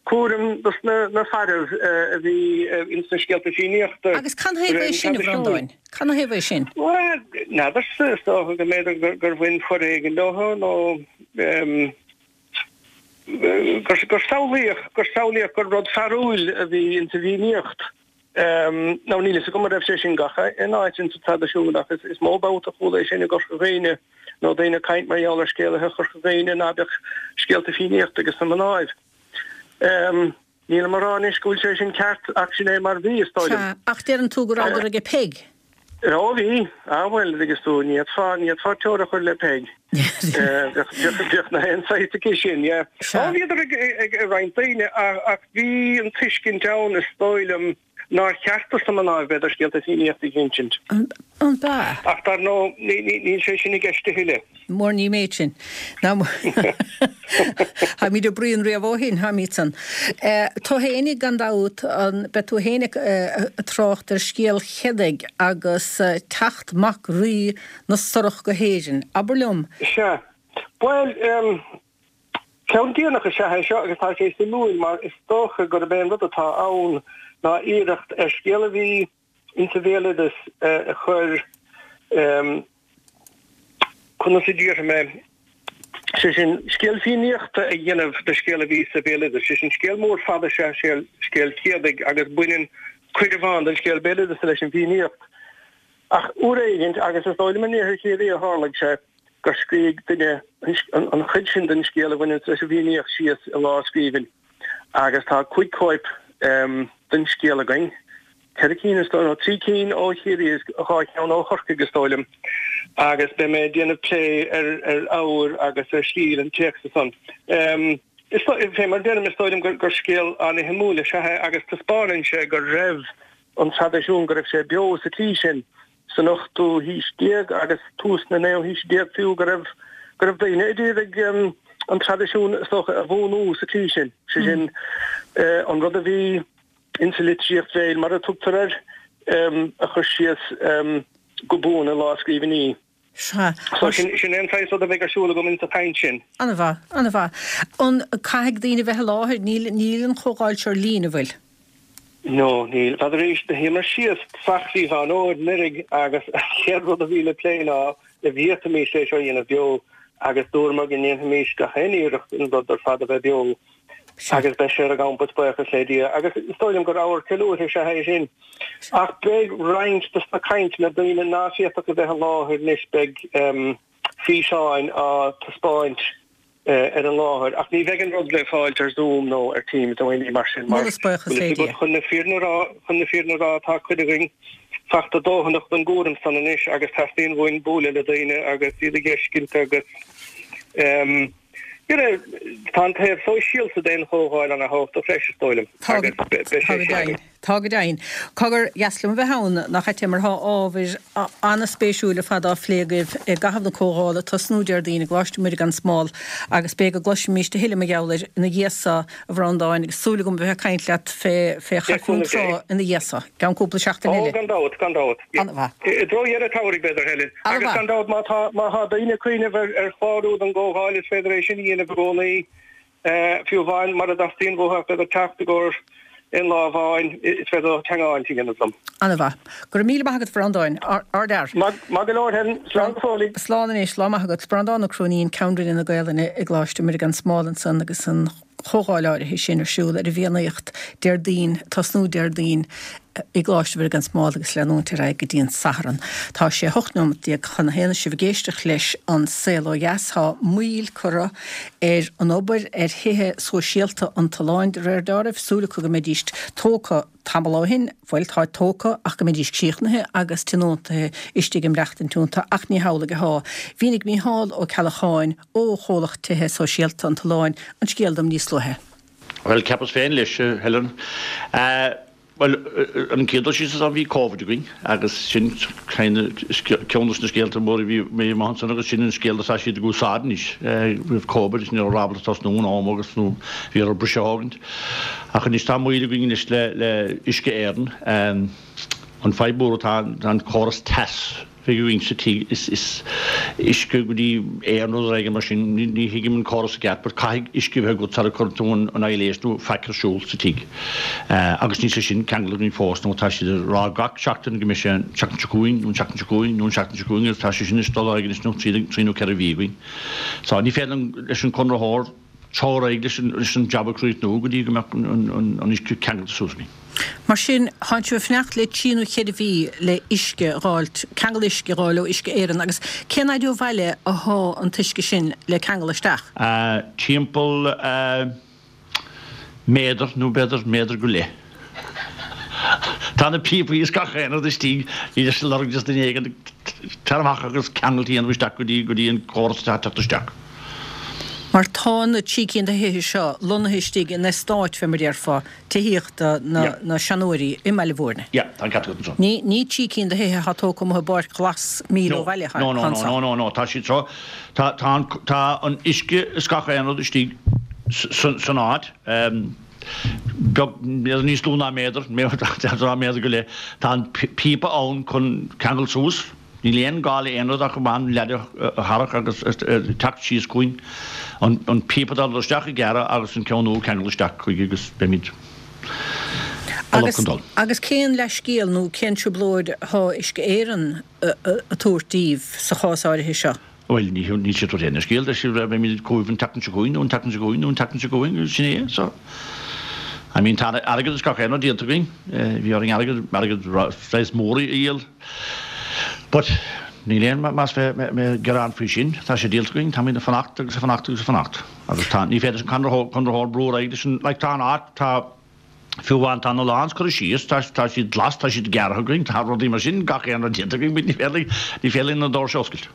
cúram dos na na fearaibh a bhí ins na scéalta Fiannaíochta Agus can de thaobh réir é an sin, a traidisiúin. Bhreandáin? Can thaobh é sin? Bhuel, n'fheadarsa, is dócha go mb'fhéidir gur bhain foréigean leo nó gur gur samhlaíodh gur samhlaíodh gur rud fearúil a bhí ins an bhFiannaíocht. Now níl fhios agam an raibh sé sin gach aon áit ins an traidisiún ach is mó babhta a chuala é sin i gCorca Dhuibhne nó daoine ag caint mar gheall ar scéalaithe Chorca Dhuibhne ná beadh scéalta Fiannaíochta ages na mnáibh. Nílim a rá anois go bhfuil sé sin ceart ach sin é mar bhí, is dóigh liom. Sea, ach deireann tú go rabhadar aige Peig. Ó bhí. Ah bhuel, agus tú, ní fhéadfá, ní fhéadfá teora a chur le Peig. Bheadh na haon saghas aici sin, yeah. Ó bhíodar ag, ag, ag roinnt daoine ach bhí an tuiscint ann, is dóigh liom, nár cheart dos na mná b'fhéidir scéalta Fiannaíochta a dh'insint. An b'ea? Ach dar ndóigh, níl sé sin i gceist a thuilleadh. Mór ní méid sin. Táimid ag bruíon riamh ó shin, táimid san. Tú fhéinig gan dabht, an, beidh tú fhéinig ag trácht ar scéal Chedaigh agus teacht mac rí na Sorach go hÉirinn. Abair liom. Sea. Bhuel, ceann déanach is ea é seo agus tá sé suimiúil mar is dócha gurb é an rud atá ann ná iarracht ar scéal a bhí insa bhéaloideas a chur conas a déarfaidh mé, sé sin, scéal Fiannaíochta a dhéanamh de scéal a bhí sa bhéaloideas, sé sin, scéal mór fada is ea scéal Chéadaigh agus baineann cuid amháin den scéal béaloideasa leis an bhFiannaíocht. Ach uair éigint, agus is dóigh liom in iarthar Chiarraí a tharlaigh sé, gur scrígh duine an chuid sin den scéal a bhaineanns leis an bhFiannaíocht síos i lámhscríbhinn agus tá cúig chóip den scéal againn, ceithre cinn is dóigh, nó trí cinn ó Chiarraí is dhá cheann ó Chorcaigh is dóigh liom, agus beidh mé ag déanamh plé ar ar ábhar agus ar stíl an téacsa san. Is fé mar a deirim, is dóigh liom gur gur scéal an-shuimiúil is ea é agus taispeánann sé go raibh an traidisiún, go raibh sé beo sa tslí sin san ochtú haois déag agus tús na naoú haoise déag fiú, go raibh go raibh daoine a d'iarraidh an traidisiún is dócha a bhuanú sa tslí sin, sé sin an rud a bhí insa litríocht bhéil, mar a tugtar air, a chur síos go buan i lámhscríbhinní. Sea. So sin sin é an saghas rud a bheidh ar siúl agam insa chaint sin. An-mhaith, an-mhaith. An caithfidh daoine bheith i láthair? Níl níl an chomhdháil seo ar líne, an bhfuil? No, níl. N'fheadar arís, do shuíomar síos feadh mhí Mheán Fhómhair anuraidh agus an chéad rud a bhí le plé ná an bhféadfaimis é seo a dhéanamh beo agus dúramar go ndéanfaimis gach aon iarracht an rud ar fad a bheith beo. Agus beidh sé ar an gcampas, buíochas le Dia. Agus is dóigh liom gur ábhar ceiliúrtha is ea é sin. Ach beidh roinnt dos na cainteanna, daoine ná féadfadh a bheith i láthair anois, beidh físeáin á taispeáint ar an láthair ach ní bheidh an rud le fáilt ar Zoom nó ar Teams nó aon ní mar sin mar Moladh is buíochas le Dia. chun na fírinne a rá chun na fírinne a rá tá cuid againn fachta dóthanach den gcúram san anois agus teastaíonn uainn bualadh le daoine agus iad a fheiscint agus um, you know, tá an taobh sóisialta den chomhdháil an-tábhachtach freisin is dóigh liom Tá agus be- beidh sé tá go sin deimhin. Tá go deimhin. Cogar dheas liom a bheith ann nach ait mar tá ábhair an-spéisiúil ar fad á phlé agaibh i gcaitheamh na comhdhála tosnú Déardaoin i gColáiste Mhuire gan Smál agus b'fhéidir go gcloisfimis a thuilleadh mar gheall air ina dhiaidh so a Bhreandáin agus súil agam a bheith ag caint leat fé fé chaife cúnamh trá Dé. ina dhiaidh so. Ceann cúpla seachtain Ó eile. gan dabht gan dabht. An-mhaith. I dtreo dheireadh an tsamhraidh b'fhéidir Helen. Agus An-mhaith. gan dabht má tá má tá daoine ag cuimhneamh ar ar chlárú don gcomhdháil is féidir é sin a dhéanamh i gcónaí fiú amháin mura dteastaíonn uathu b'fhéidir teacht i gcomhair aon lá amháin is féidir teagmháil a dhéanamh liom. An-mhaith. Go raibh míle maith agat Bhreandáin Ardfhear. Maith go leor Helen slán go fóill. Slán anois lá maith agat Breandán Ó Cróinín Ceann Roinne na Gaelainne i gColáiste Mhuire gan Smál ansan agus an chomhdháil áirithe sin ar siúl ar an bhFiannaíocht Déardaoin tosnú Déardaoin i gColáiste Mhuire gan Smál agus leanúint ar aghaidh go dtí an Satharn. Tá sé hocht nóiméad déag chun a haon sibh ag éisteacht leis an saol ó dheas tá moill curtha ar an obair ar thithe sóisialta an tSuláin de réir dealraimh súil acu go mbeidís tógtha tamall ó shin, bhuel tá tógtha ach go mbeidís críochnaithe agus tionóntaithe istigh i mbrachtain tiúnta ach ní hamhlaidh atá. Mhínigh Mícheál Ó Ceallacháin ó chomhlacht tithe sóisialta an tSuláin an scéal dom níos luaithe. Well ceapas féin leis Helen. Uh, Well an chéad síos bhí COVID againn agus sin ceann na scéalta mór bhí mé man san agus sin an scéal atá siad ag úsáid anois roimh COVID ní raibh tosnú in am agus nó bhí ar briseadh Ach anois tá moill againn anois le le Uisce Éireann an fadhb mhór atá an córas teas bhí sa tí is is uisce go dtí aer nó rud mar sin ní thuigim an córas i gceart, but caithfidh uisce bheith agat sara cuireann tú an an aibhléis nó faic ar siúl sa tigh. Agus níl sé sin ceangailte againn fós nó tá siad ag rá gach seachtain go mbeidh sé an tseachtain seo chugainn nó an tseachtain seo chugainn nó an tseachtain seo chugainn agus tá sé sin ag dul ar aghaidh anois nó trí trí nó ceithre mhí againn. So ní féidir leis an conraitheoir dul ar aghaidh leis an leis an jab a chríochnú go dtí go mbeadh an an an uisce ceangailte suas againn. Mar sin tá sibh ag fanacht le trí nó ceithre mhí le uisce a fháilt, ceangal uisce a fháil ó Uisce Éireann agus cén fhaid ó bhaile atá an t-uisce sin le ceangal isteach? Uh, timpeall uh, méadar nó b'fhéidir méadar go leith. Tá na píopaí is gach aon rud istigh ní leis lorg just duine éigin tar amach agus ceangal dhéanamh isteach go dtí go dtí an córas teacht isteach. Mar tá na trí cinn de thithe seo lonnaithe istigh in eastát fé mar déarfá tithíochta na, Yeah. na seanóirí i mBaile Bhúirne. Ja, tá an ceart agat ansan. Ní ní trí cinn de thithe atá tógtha amuigh i bpáirc ghlas míle ó bhaile No, no, no, no, no, no, tá siad seo tá tá an tá an uisce is gach aon rud istigh san san áit. Um, beag níos lú ná méadar méadar méadar go leith Tá an píopa ann chun ceangal suas. Níl aon gá le aon rud ach amháin leaid a tharrac agus teacht síos chugainn an an píopa dul isteach i gceart agus an ceann nua ceangal isteach chuige agus beimid Agus, chun dul. agus cén leithscéal nó cén trioblóid atá Uisce Éireann a tabhairt daoibh sa chás áirithe seo? Well ní ní sé aon scéal de si beimid chugaibh an tseachtain seo chugainn nó an tseachtain seo chugainn nó an tseachtain seo chugainn sin é so. I mean tá airgead is gach aon rud díolta againn, bhí orainn airgead airgead saghas mór a dhíol. But níl aon más bheith mé gearán faoi sin, tá sé díolta againn, tá ag fanacht agus fanacht agus fanacht. Agus tá ní féidir an conraitheoir brú ar aghaidh leis an like tá an áit tá fiú amháin tá na lawns curtha síos, tá tá siad glas, tá siad gearrtha againn, tá rudaí mar sin gach aon rud déanta againn, ní féidir ní féidir na doirse a oscailt.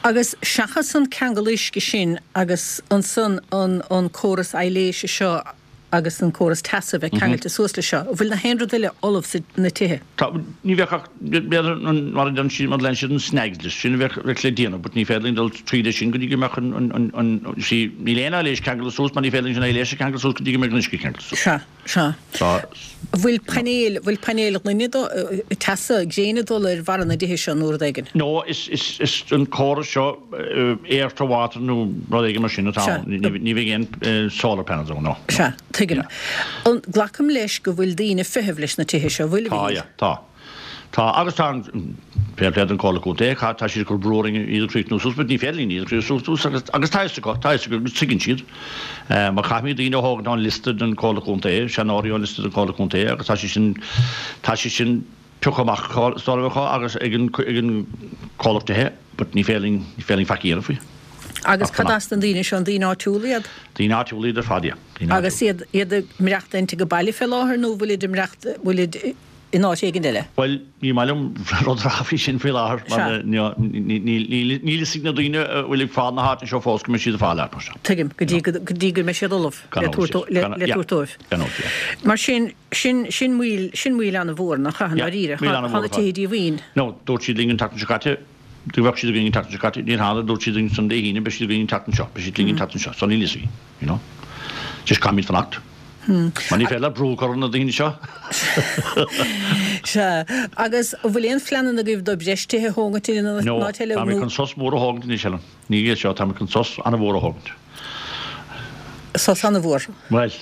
Agus seachas an ceangal uisce sin agus ansan an, an córas aibhléise seo agus an córas teasa bheith ceangailte suas le seo, bhfuil na haon rud eile ullamh sa na tithe? Tá ní bheadh ach b'fhéidir an mar a deir siad mar lean siad an snags list sin a bheadh bheadh le déanamh, but ní féidir linn dul tríd sin go dtí go mbeadh an an an an sí níl aon aibhléis ceangailte suas mar ní féidir linn sin aibhléis a cheangal suas go dtí go mbeadh an uisce ceangailte suas. Sea, sea. So Bhfuil painéil bhfuil painéil gloine do teasa gréine dul ar bharra na dtithe seo nó rud éigin? No, is is is an córas seo air to water nó rud éigin mar sin atá Sea. ann. Ní ní bheidh aon solar panels ann, no. Sea, tuigim. An glacaim leis go bhfuil daoine ag feitheamh leis na tithe seo, bhfuil Tá, bhí? ja, tá. Tá agus tá an féar an Comhairle Contae, tá siad ag cur brú orainn iad a chríochnú suas, but ní féidir linn iad a chríochnú suas agus agus tá acu, tá acu agus tuigeann siad. Mar chaithfimid daoine a thógaint ón liosta den Comhairle Contae, seanóirí ón liosta den Comhairle Contae agus tá sé sin tá sé sin pioctha amach stáracha agus ag an ag an comhlacht tithe, But ní féidir linn, ní féidir linn faic a dhéanamh faoi. Agus cad as na daoine seo, an daoine áitiúla iad? Daoine áitiúla iad ar fad, yeah. Daoine Agus iad, iad ag maireachtaint ag baile fé láthair nó bhfuilid ag maireacht, bhfuilid in áit éigin eile? Bhuel, ní maith liom rud a rá faoi sin faoi láthair mar níl fhios ag na daoine a bhfuil ag fáil na háite seo fós go mbeidh siad ag fáil áit mar seo. Tuigim, go dtí go dtí go mbeidh siad ullamh le tabhairt dóibh. Mar sin, sin, sin moill, sin moill an-mhór, nach ea, i ndáiríre? Tá na tithe díomhaoin. No, dúirt siad linn an tseachtain seo caite go mbeadh siad againn an tseachtain seo caite, níor tháinig, dúirt siad linn san Dé hAoine, beidh siad againn an tseachtain seo, beidh siad linn an tseachtain seo, so níl fhios againn, you know. Just caithfimid fanacht. Mar ní féidir leat brú a chur ar na daoine seo. Sea. Agus an bhfuil aon phleananna agaibh do breis tithe a thógaint in aon No, áit eile tá mé nó? chun sos mór a thógaint anois, Helen. Ní é seo, tá mé chun sos an-mhór a thógaint. Sos an-mhór. Bhuel,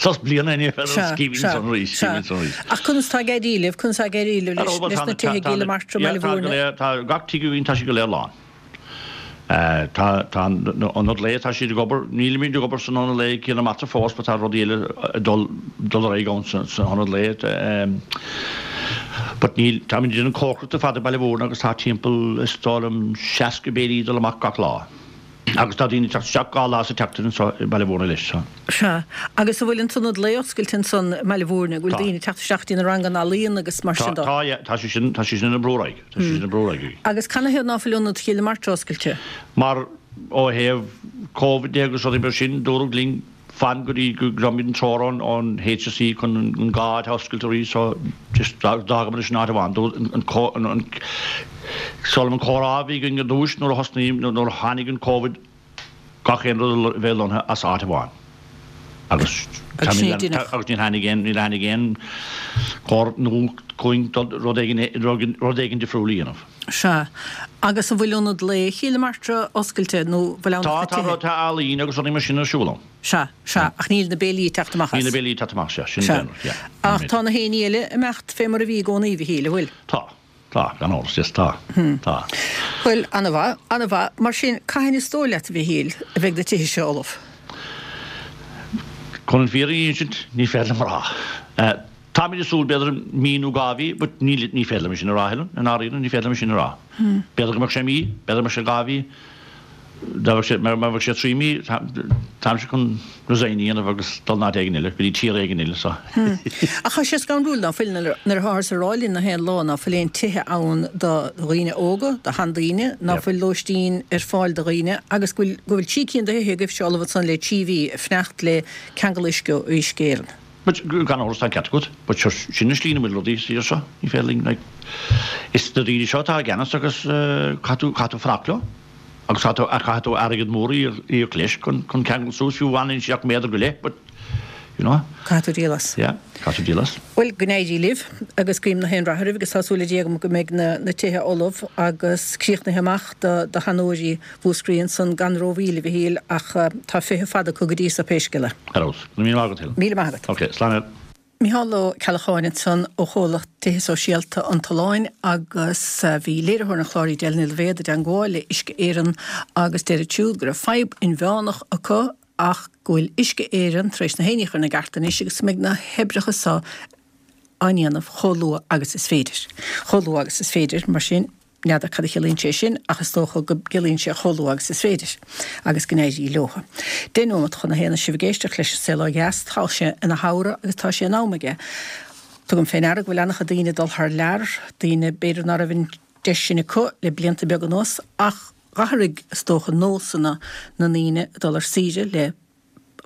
sos bliana ní féidir Sea, scríbhinn sea, sonraí, sea. scríbhinn sonraí. Ach conas tá ag éirí libh, conas tá ag éirí libh Ar leis, bhuel, leis tá na na, tithe tá, i tá gCill na, na Martra, yeah, Baile tá go Mhúirne? léir, tá gach tigh againn, tá siad go léir lán. Tá tá an ionad lae, tá siad ag obair, nílimid ag obair san ionad lae i gCill na Martra fós but tá rudaí eile ag dul dul ar aghaidh ann san san ionad lae. But níl, táimid ag déanamh cócaireacht ar fad i Baile Mhúirne agus tá timpeall is dóigh liom seasca béilí ag dul amach gach lá. Agus tá daoine ag teacht isteach dhá lá sa tseachtain anseo i Baile Mhúirne leis. So. Sea. Agus an bhfuil an t-ionad lae oscailte ansan i mBaile Mhúirne? An bhfuil Tá. daoine ag teacht isteach dtí na ranganna ealaíon agus mar Tá, sin de? tá, yeah, tá sé sin, tá sé sin ag brú ar aghaidh. Tá sé sin ag brú ar aghaidh. Agus canathaobh ná fuil ionad Chill na Martra oscailte? Mar ó thaobh Covid de agus rudaí mar sin, dúradh linn fan go dtí go bhfaighimid an treoir ón ón HSE chun an an dhá áit a oscailt arís so just d'fhágamar leis an áit amháin. Dúirt an an an an is dóigh liom an comhrá a bhí againn ar dtúis nuair a thosnaigh nuair a tháinig an Covid gach aon rud a bheith lonnaithe as áit amháin agus Agus sin é dinneach. agus níor tháinig aon níor tháinig aon chor nua chugainn rud éigin rud éigin difriúil a dhéanamh. Sea. Agus an bhfuil ionad lae Chill na Martra oscailte nó bhfuil ann Tá ach na tá tithe? tá ealaín agus rudaí mar sin ar siúl ann. Sea, sea, ach níl na béilí ag teacht amach Níl as. na béilí ag teacht amach, sea, sin Sea. an rud, yeah. Ach tá na héinní eile ag imeacht fé mar a bhí i gcónaí, a Mhichíl, an bhfuil? Tá. Tá, gan amhras, yes, tá. Tá. Bhuel, ana-mhaith, ana-mhaith. Mar sin, cathain is dóigh leat, a Mhichíl, a bheidh na tithe seo ullamh? Chun an fhírinne a insint, ní féidir liom a rá. Táimid ag súil b'fhéidir mí nó dhá mhí, but ní, ní féidir liom é sin a rá, Helen, i ndáiríre, ní féidir liom é sin a rá. B'fhéidir go mbeadh sé mí, b'fhéidir go mbeadh sé dhá mhí, dá mbeadh sé, má bheadh sé trí mí, táimse chun resign a dhéanamh agus dul in áit éigin eile, go dtí tír éigin eile, so. Ach tá sé scanrúil ná fuil, nuair atáthar ag rá linn na haon lá ná fuil aon tithe ann do dhaoine óga, do sheandaoine, ná fuil lóistín ar fáil do dhaoine agus go bhfuil, go bhfuil trí cinn de thithe agaibhse ullamh ansan le trí mhí ag fanacht le ceangal uisce ó Uisce Éireann. But gan amhras tá an ceart agat, but sure, sin an slí ina bhfuil rudaí sa tír seo, ní féidir linn, like, is na daoine seo atá i gceannas agus caithfidh tú, caithfidh tú fanacht leo. Agus caithfidh tú, caithfidh tú airgead mór a íoc leis chun, chun ceangal suas, fiú amháin anois ach méadar go leith, but, you know. Caithfidh tú díol as. Yeah, caithfidh tú díol as. Bhuel, go n-éirí libh agus guím na haon rath oraibh agus tá súil le Dia agam go mbeidh na, na tithe ullamh agus críochnaithe amach do, do sheanóirí Mhúscraí ansan gan rómhoill, a Mhichíl, ach tá feitheamh fada acu go dtí so pé scéal é. Ar fheabhas. Go raibh míle maith agat, Helen. Míle maith agat. Ok, slán. Micheál Ó Ceallacháin ansan ó chomhlacht Tithe Sóisialta an tSuláin agus bhí léiritheoir an chláir Edel Ní Loibhéad i dteangmháil le Uisce Éireann agus deir siúd go raibh fadhb inmheánach acu ach go bhfuil Uisce Éireann tar éis na héinní a chur ina gceart anois agus go mbeidh na hoibreacha so á ndéanamh chomh luath agus is féidir. Chomh luath agus is féidir, mar sin. N'fheadar cad a chiallaíonn sé sin ach is dócha go gciallaíonn sé chomh luath agus is féidir agus go n-éirí leo. Deich nóimeat chun a haon sibh ag éisteacht leis An Saol Ó Dheas. Tá sé ina shamhradh agus tá sé in am aige. Tugaim fé ndeara go bhfuil an-chuid daoine ag dul thar lear, daoine b'fhéidir ná raibh an deis sin acu le blianta beaga anuas ach d'athraigh is dócha nósanna na ndaoine ag dul ar saoire le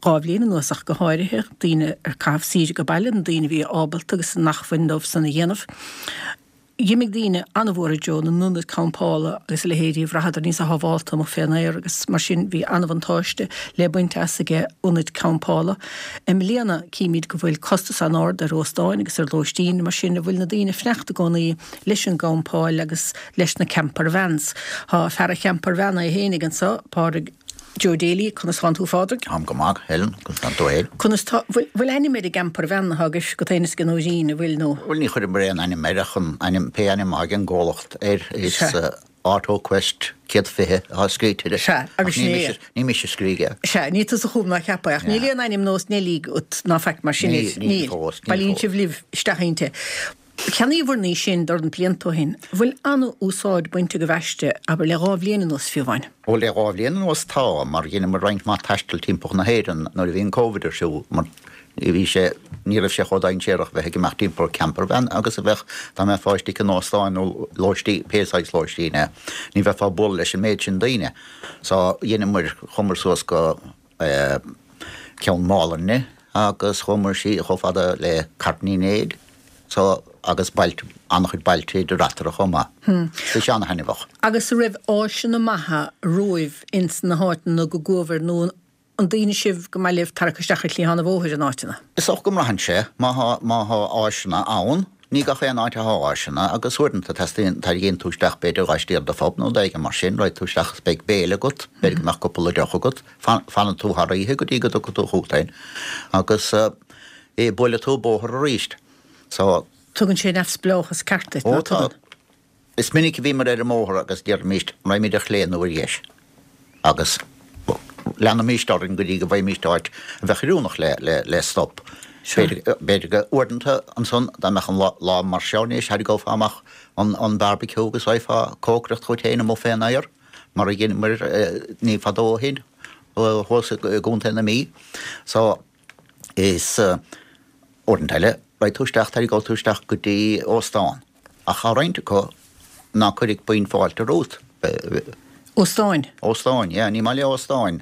dhá bhliain anuas ach go háirithe, daoine ar caitheamh saoire go baile, na daoine a bhí ábalta agus in acmhainn dóibh san a dhéanamh. D'imigh daoine an-mhór i dtreo na n-ionad campála agus a leithéidí, bhraitheadar níosa shábhálta amuigh fén aer agus mar sin bhí an-bhuntáiste le baint as aige ionaid campála. I mbliana címid go bhfuil costas an-ard ar óstáin agus ar lóistín, mar sin a bhfuil na daoine ag fanacht i gcónaí leis an gcampáil agus leis na campervans. Tá fear an champervan é fhéinig anso, Pádraig Joe Daly, conas tánn tú a Phádraig? Táim go maith, Helen, conas tánn tú fhéin? Conas tá, bhfuil, bhfuil ainm ar an gcampervan atá agaibh agat fhéin is ag an Nóirín, an bhfuil nó? Bhuel, ní chuireamar aon ainm air ach an ainm, pé ainm a thug an gcomhlacht air, is Sea. Auto Quest céad fiche atá scríte air. Sea, agus Ach ní sin é. mise, ní mise a scrígh é. Sea, ní tusa a chum ná cheap é, ach níl Yeah. aon ainm nós Neilí agat ná faic mar sin Níl, air. níl Níl. fós, níl Bailíonn fós. sibh libh isteach inti. Cheannaíobhair í sin dornán blianta ó shin. Bhfuil an-úsáid bainte agaibh aisti, abair, le dhá bhliain anuas fiú amháin? Ó le dhá bhliain anuas tá, mar dheineamar roinnt mhaith taistil timpeall na hÉireann nuair a bhí an Covid ar siúl, mar bhí sé, ní raibh sé chomh dainséarach bheith ag imeacht timpeall campervan agus a bheadh dá mbeifeá istigh in óstán nó lóistí, pé saghas lóistín é, ní bheifeá ag bualadh leis an méid sin daoine. So dheineamar, chuamar suas go eh, Ceann Mhálanna agus chuamar síos chomh fada le Carn Uí Néid. So, agus bailte, an-chuid bailte idir eatarthu chomh maith. Bhí sé an-thaitneamhach. Agus an raibh áiseanna maithe romhaibh ins na háiteanna go gcuabhair nó an daoine sibh go maith libh tarrac isteach ar chliathán an bhóthair in áiteanna? Is dócha go mbraitheann sé. Má thá, má thá áiseanna ann, ní gach aon áit athá áiseanna agus uaireanta teastaíonn, tarraingíonn tú isteach b'fhéidir laistiar de phub nó rud éigin mar sin, raghaidh tú isteach is beidh béile agat, b'fhéidir go mbeadh cúpla deoch agat, fan, fanann tú thar oíche go dtí go dtiocfaidh tú chugat féin agus eh, buailfidh tú bóthar arís. So. Tugann sé neamhspleáchas ceart duit, Ó ná tá. tugann? Is minic a bhíomar ar an mbóthar agus deirimíst, raghaimid ar chlé nó ar dheis agus leanaimíst orainn go dtí go bhfaighimíst áit a bheadh oiriúnach le, le, le stop. Sure. B'fhéidir, b'fhéidir go, uaireanta ansan, dá mbeadh an lá, lá mar seo anois, tharraingeofá amach an, an barbecue agus bheifeá ag cócaireacht dhuit féin amuigh fén aer, mar a dheineamar ní fadó ó shin, thuas i gContae na Mí. So, is. Uaireanta eile, raghaidh tú isteach, tarraingeoidh tú isteach go dtí óstán, ach tá roinnt acu ná cuirfidh puinn fáilte romhat. Óstáin? Óstáin, yeah. Ní maith le óstáin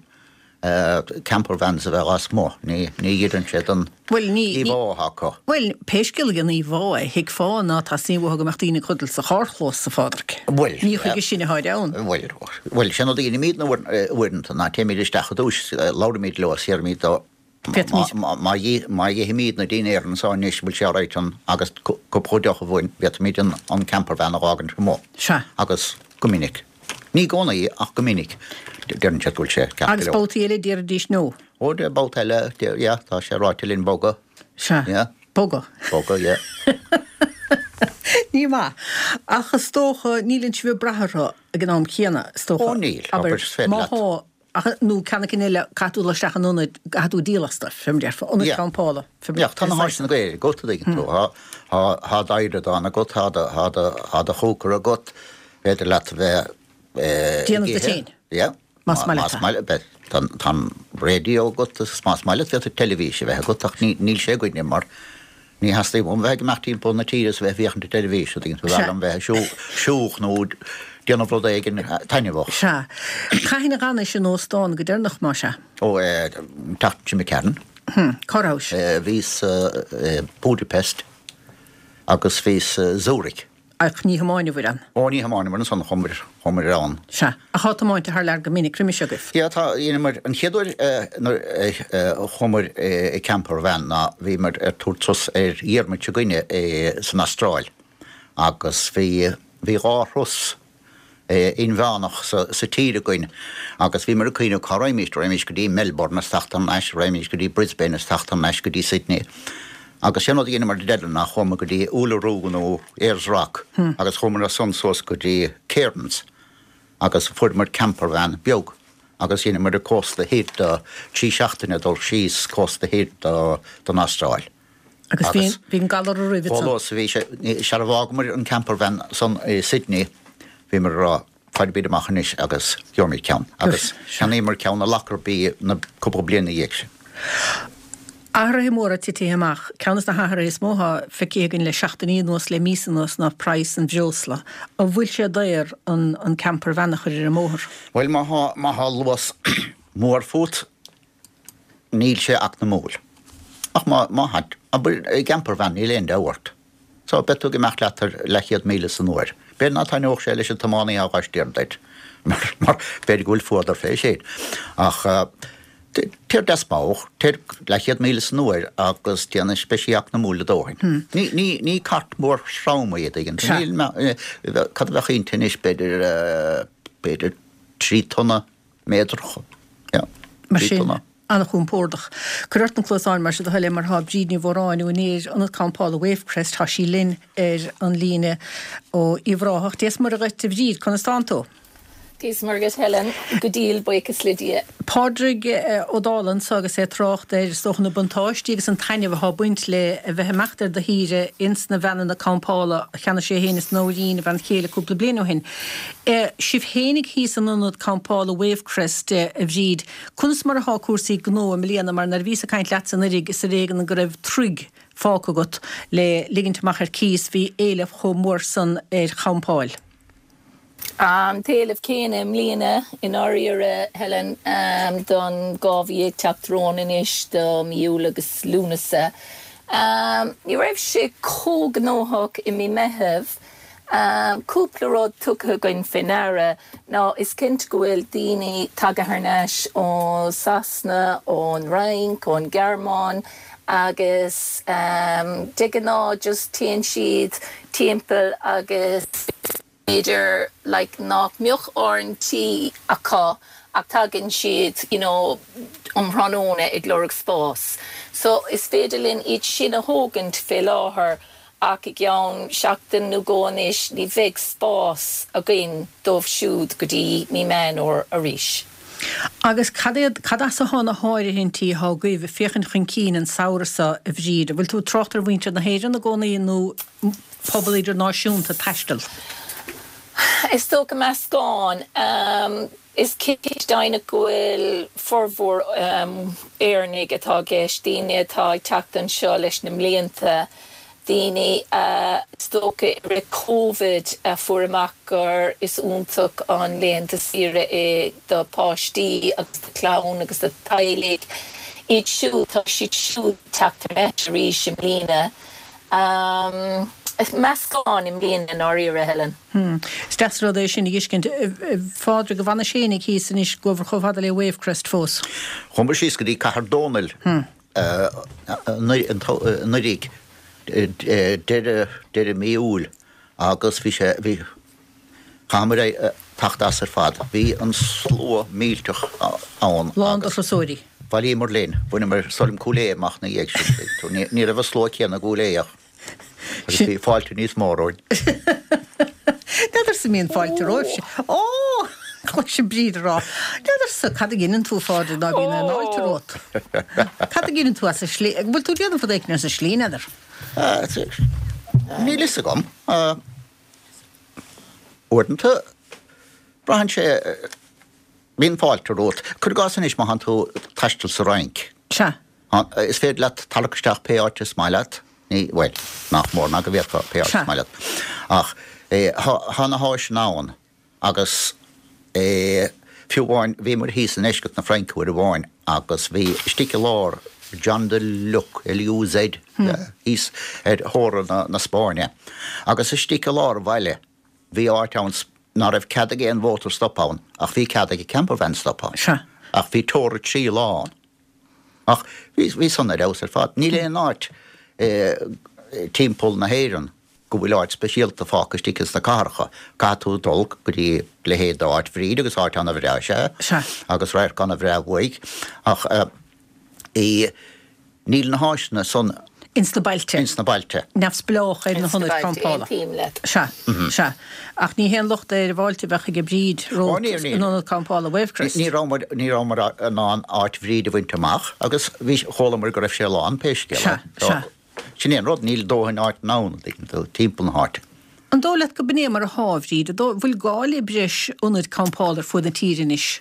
campervans a bheith lasmuigh, ní, ní oireann sé don Bhuel, ní, ní, íomhá atá acu. bhuel, pé scéal é an íomhá é, thuigfeá ná teastaíonn uathu go mbeadh daoine ag codladh sa charrchlós, a Phádraic. Bhuel, Ní chuige sin atháid ann. Bhuel, bhuel, sin rud a dheinimíd uaireanta, ná téimid isteach i dtús, labhraímid leo, is iarraimid dó, Féadfaimid. Má dh'ithimíd na dinnéar anso anois, bhfuil sé alright an, agus cúpla deoch amháin, bhféadfaimíd an an campervan a dh'fhágaint amuigh. Sea. Agus go minic, ní i gcónaí ach go minic, deireann siad go bhfuil sé ceart go Agus leor. babhtaí eile déarfaidís no. Ó, de babhta eile, de, yeah, tá sé ráite linn bogadh. Sea. Yeah. Bogadh. Bogadh, yeah. Ní maith. Ach is dócha, níleann sibh ag brath orthu ag an am céanna, is dócha. Ó, níl, Abair, abair, is féidir má leat. thá, Ach nó ceann éicint eile, caithfidh tú dul isteach in ionad, caithfidh tú díol astu, fé mar déarfá, ionad Yeah. campála, fé mar Yeah, tá na pé saghas. háiseanna go léir agat, a dtuigeann tú. Tá, tá, tá d'adhradán agat, tá do, tá do, tá do chócaire agat, féidir leat a bheith eh, ag Déanamh duit ithe. féin. Yeah. Más Má, maith leat más é. maith leat, beidh, tá, tá an raidió agat agus más maith leat féadfaidh teilifís a bheith agat ach ní, níl sé againne mar Ní theastaíonn uaim bheith ag imeacht timpeall na tíre is a bheith ag féachaint ar teilifís, a dtuigeann tú, Sea. b'fhearr liom bheith ag siúl, siúl nó déanamh rud éigin taitneamhach. Sea. Cathain a dh'fhanais in óstán go deireanach, más ea? Ó, eh, an tseachtain seo imigh tharainn. Hm, cá rabhais? Eh, bhíos eh, Budapest agus bhíos eh, Zurich. Ach ní thiomáineabhair ann. Ó, ní thiomáineamar ansan, chuamar, chuamar ann. Sea. Ach thá tiomáinte thar lear go minic roimis agaibh. Yeah, tá, dheineamar, an chéad uair nuair a chuamar i campervan ná bhíomar ar tabhairt turas ar Dhiarmaid s'againne san Astráil agus bhí, bhí dhá thuras inmheánach sa, sa tír againn agus bhíomar ag cuimhneamh cá raghaimíst, raghaimíst go dtí Melbourne is teacht thar n-ais, raghaimíst go dtí Brisbane is teacht thar n-ais go dtí Sydney. Agus sé'n rud a dheineamar ar deireadh ná chuamar go dtí Uluru nó Ayers Rock agus chuamar as san suas go dtí Cairns agus fuaireamar campervan beag agus dheineamar an cósta thoir de trí seachtaine dul síos cósta thoir de den Astráil. Agus bhí bhí an galar roimhe Chomh san. luath is a bhí sé, sara bhfágamar an campervan san i Sydney bhíomar ag rá faighimid amach anois agus gheobhaimid ceann. Agus cheannaíomar ceann i Lockerbie na cúpla bliain ina dhiaidh sin. Athruithe móra titithe amach. Ceann des na hathruithe is mó atá feicthe againn le seachtainí anuas, le míosa anuas, ná praghas an bhreosla. An bhfuil sé daor an an campervan a chur ar an mbóthar? Bhuel, má thá, má thá luas mór fút, níl sé eacnamúil. Ach má, má thá, abair, i gcampervan, níl aon dabht ort. So, beidh tú ag imeacht leat ar leathchéad míle san uair. B'fhéidir ná taitneodh sé leis an tiománaí atá á stiúradh duit, mar, mar b'fhéidir go bhfuil fuadar fé sin. Ach téir deas mall, téir leathchéad míle san uair agus déanfaidh, beidh sí eacnamúil a dóthain. Ní, ní, ní cairt mhór throm í, a dtuigeann tú. Níl, cad a bheadh inti anois, b'fhéidir, b'fhéidir trí tonna méadracha. Yeah, Mar trí sin, tonna. an-chompordach. Cuir ort na cluasáin mar sin a thoil é mar tá Bríd Ní Mhóráin, úinéir Ionad Campála Wavecrest, tá sí linn ar an líne ó Uíbh Ráthach. Dia is Muire dhuit a Bhríd, conas tánn tú? Dia is Muire dhuit Helen, go diail, buíochas le Dia. Pádraig Ó Dálaigh anso agus é ag trácht ar is dócha na buntáistí agus an taitneamh atá ag baint le a bheith ag imeacht ar do shaoire ins na veaineanna campála a cheannaigh sé féin is Nóirín, a bhean chéile, cúpla bliain ó shin. Sibh féinig thíos in ionad campála Wavecrest, a Bhríd, conas mar atá cúrsaí gnó i mbliana mar nuair a bhíos ag caint leatsa anuraidh is ar éigean go raibh troigh fágtha agat le ligint amach ar cíos, bhí éileamh chomh mór san ar champáil. An t-éileamh céanna i mbliana, i ndáiríre, Helen, don dhá mhí ag teacht romhainn anois, do mí Iúil agus Lúnasa. Ní raibh sé chomh gnóthach i mí Meitheamh. Cúpla rud tugtha againn fé ndeara ná is cinnte go bhfuil daoine tagtha thar n-ais ó Sasana, ón Fhrainc, ón Ghearmáin agus de ghnáth just téann siad timpeall agus b'fhéidir like nach mbeadh áireamh tí acu ach tagann siad you know um thráthnóna ag lorg spás. So is féidir linn iad sin a thógaint fé láthair ach i gceann seachtain nó dhó anois ní bheidh spás againn dóibh siúd go dtí mí Meán Fhómhair arís. Agus cad iad, cad as atá na háirithintí atá agaibh ag féachaint chun cinn an samhradh seo, a Bhríd? An bhfuil tú ag trácht ar mhuintir na hÉireann i gcónaí nó pobal idirnáisiúnta ag taisteal? Is dócha meascán. Is cinnte deimhneach go bhfuil formhór Éireannaigh atá i gceist, daoine atá ag teacht anseo leis na mblianta, daoine a, is dócha, i rith Covid a fuair amach gur is iontach an laethanta saoire é do pháistí agus do chlann agus do teaghlaigh. Iad siúd, tá siad siúd ag teacht thar n-ais arís i mbliana. Meascán i mbliana i ndáiríre, Helen. Is deas an rud é sin a fheiscint. A Phádraig, an bhfanais fhéinig thíos anois gabhair chomh fada le Wavecrest fós? Chuamar síos go dtí Cathair Dónaill anuraidh, deireadh mí Iúil agus bhí sé, bhí, chaitheamar teacht as ar fad. Bhí an slua millteach ann. Lán de thurasóirí. Bhailíomar linn. Bhaineamar Soilm Cúil Aodha amach ina dhiaidh sin. Ní raibh an slua céanna i gCúil Aodha ach agus bhí fáilte níos mó romhainn. N'fheadarsa an mbíonn fáilte romhaibhse. Ó! Cloisim Bríd ag rá. N'fheadarsa cad a dheineann tú, a Phádraig, ná bíonn aon fháilte romhat. Cad a dheineann tú as an slí? Bhfuil tú ag déanamh rud éicint as an slí, n'fheadar? Níl fhios agam. Uaireanta, braitheann sé, bíonn fáilte romhat. Cuir i gcás anois má thánn tú ag taisteal sa Fhrainc. Sea. Is féidir leat tarrac isteach pé áit is maith leat. Ní, bhuel, nach mór ná go bhféadfá pé áit is maith leat. Ach thá na háiseanna ann agus fiú amháin, bhíomar thíos i ndeisceart na Fraince uair amháin agus bhí istigh i lár Jean de Luc, L-U-Z, thíos ar theorainn na Spáinne agus istigh i lár an bhaile bhí áit ann ná raibh cead ag aon mhótar stop ann ach bhí cead ag campervan stop ann. Ach bhí teora trí lá ann. Ach bhí, bhí san ar fheabhas ar fad. Níl aon áit timpeall na hÉireann go bhfuil áit speisialta fágtha istigh ins na cathracha. Caithfidh tú dul go dtí leithéid d'áit Bhríd agus áit ana-bhreá is ea Sea. agus radharc ana-bhreá uaidh ach í níl na háiseanna san Ins na bailte. Ins na bailte. Neamhspleách ar na Ins na hionaid bailte, campála. aontaím leat. Sea, sea. Ach ní haon locht é ar an bhfáilte a bheadh ag Bríd Ó, romhat níor, níor. in ionad campála Wavecrest. Ní rabhamar, ní rabhamar in ann áit Bhríd a bhaint amach agus bhí, chualamar go raibh sé lán pé scéal é. Sea, So, sea. sin é an rud, níl dóthain áiteanna ann, an dtuigeann tú, timpeall na háite. An dóigh leat go b'in é mar athá, a Bhríd? An dóigh, bhfuil gá le breis ionaid campála ar fuaid na tíre anois?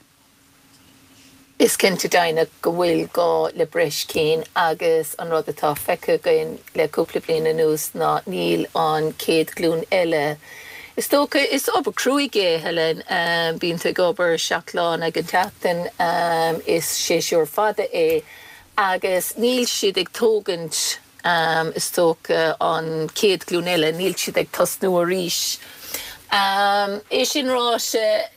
Is cinnte deimhneach go bhfuil gá le breis cinn agus an rud atá feicthe againn le cúpla bliain anuas ná níl an chéad ghlúin eile, is dócha, is obair cruaidh é, Helen, bíonn tú ag obair seacht lá in aghaidh an tseachtain, is séasúr fada é agus níl siad ag tógaint, is dócha, an chéad ghlúin eile, níl siad ag tosnú arís. É sin ráite,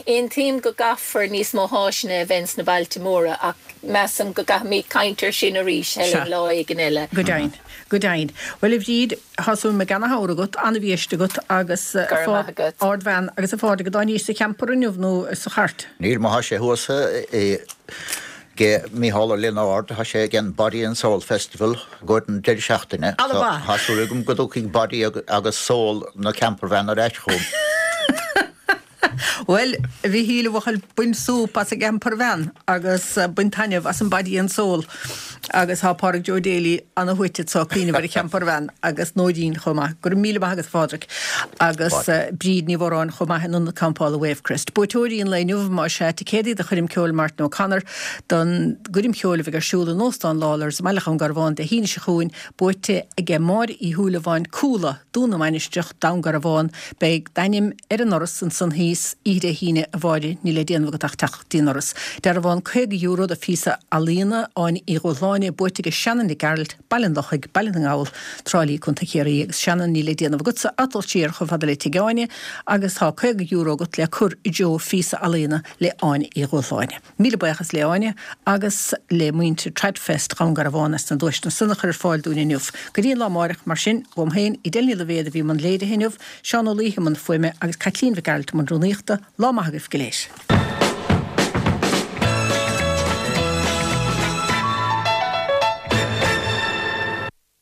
Aontaím go gcaithfear níos mó háiseanna a bheith ins na bailte móra ach measaim go gcaithfimid caint air sin arís, Helen, Sea. lá éigin eile. Go deimhin. Go deimhin. Bhuel, a Bhríd, tá súil agam go mbeidh ana-shamhradh agat, ana-bhiaiste agat agus Go raibh maith agat. ardbhean agus a Phádraig, an dtáinís sa champer inniu nó sa chairt? Níl, má thá sé thuas ag Mícheál Ó Lionáird, thá sé ag an Body and Soul Festival i gcomhair an deireadh seachtaine. Alla So, mhaith. thá súil agam go dtiocfaidh Body agus Soul na campervan ar ais chugam. Bhuel, a Mhichíl, a bhuachaill, bain súp as an gcampervan agus bain taitneamh as an Body and Soul agus tá Pádraig Joe Daly ana-shuaite anso ag cuimhneamh ar an champervan agus Nóirín chomh maith. Go raibh míle maith agat a Phádraig agus Bríd Ní Mhóráin chomh maith in Ionad Campála Wavecrest. Buaiteoirí an lae inniu, más ea, ticéadaí do choirm ceoil Martin O'Connor don gcoirm cheoil a bheidh ar siúl in Óstán Lawlor's i mBaile Dhún Garbhán Dé hAoine seo chugainn, buaite aige Máire Uí Shúilleabháin, Cuala, Dún na Mainistreach, Dún Garbhán. Beidh d'ainm ar an ndoras ansan thíos oíche Dé hAoine, a Mháire, níl le déanamh agat ach teacht go dtí an ndoras. Dearbhán caoga euro do phíosa ealaíona, Áine Uí Dhúshláine, buaite aige Shannon Nic Gearailt, Baile an Lochaigh, Baile na nGall, Trá Lí, Contae Chiarraí, agus Shannon, níl le déanamh agatsa ach dul siar chomh fada le Tigh Áine agus tá caoga euro agat le cur i dtreo phíosa ealaíona le Áine Uí Dhúshláine. Míle buíochas le Áine agus le muintir Tradfest Dhún Garbhán as na duaiseanna san a chur ar fáil dúinn inniu. Go dtí an lá amárach, mar sin, uaim féin, Edel Ní Loibhéad a bhí i mbun léirithe inniu, Seán Ó Laoithe i mbun fuaime agus Caitlín Mhic Gearailt i mbun rúnaíochta, lá maith agaibh go léir.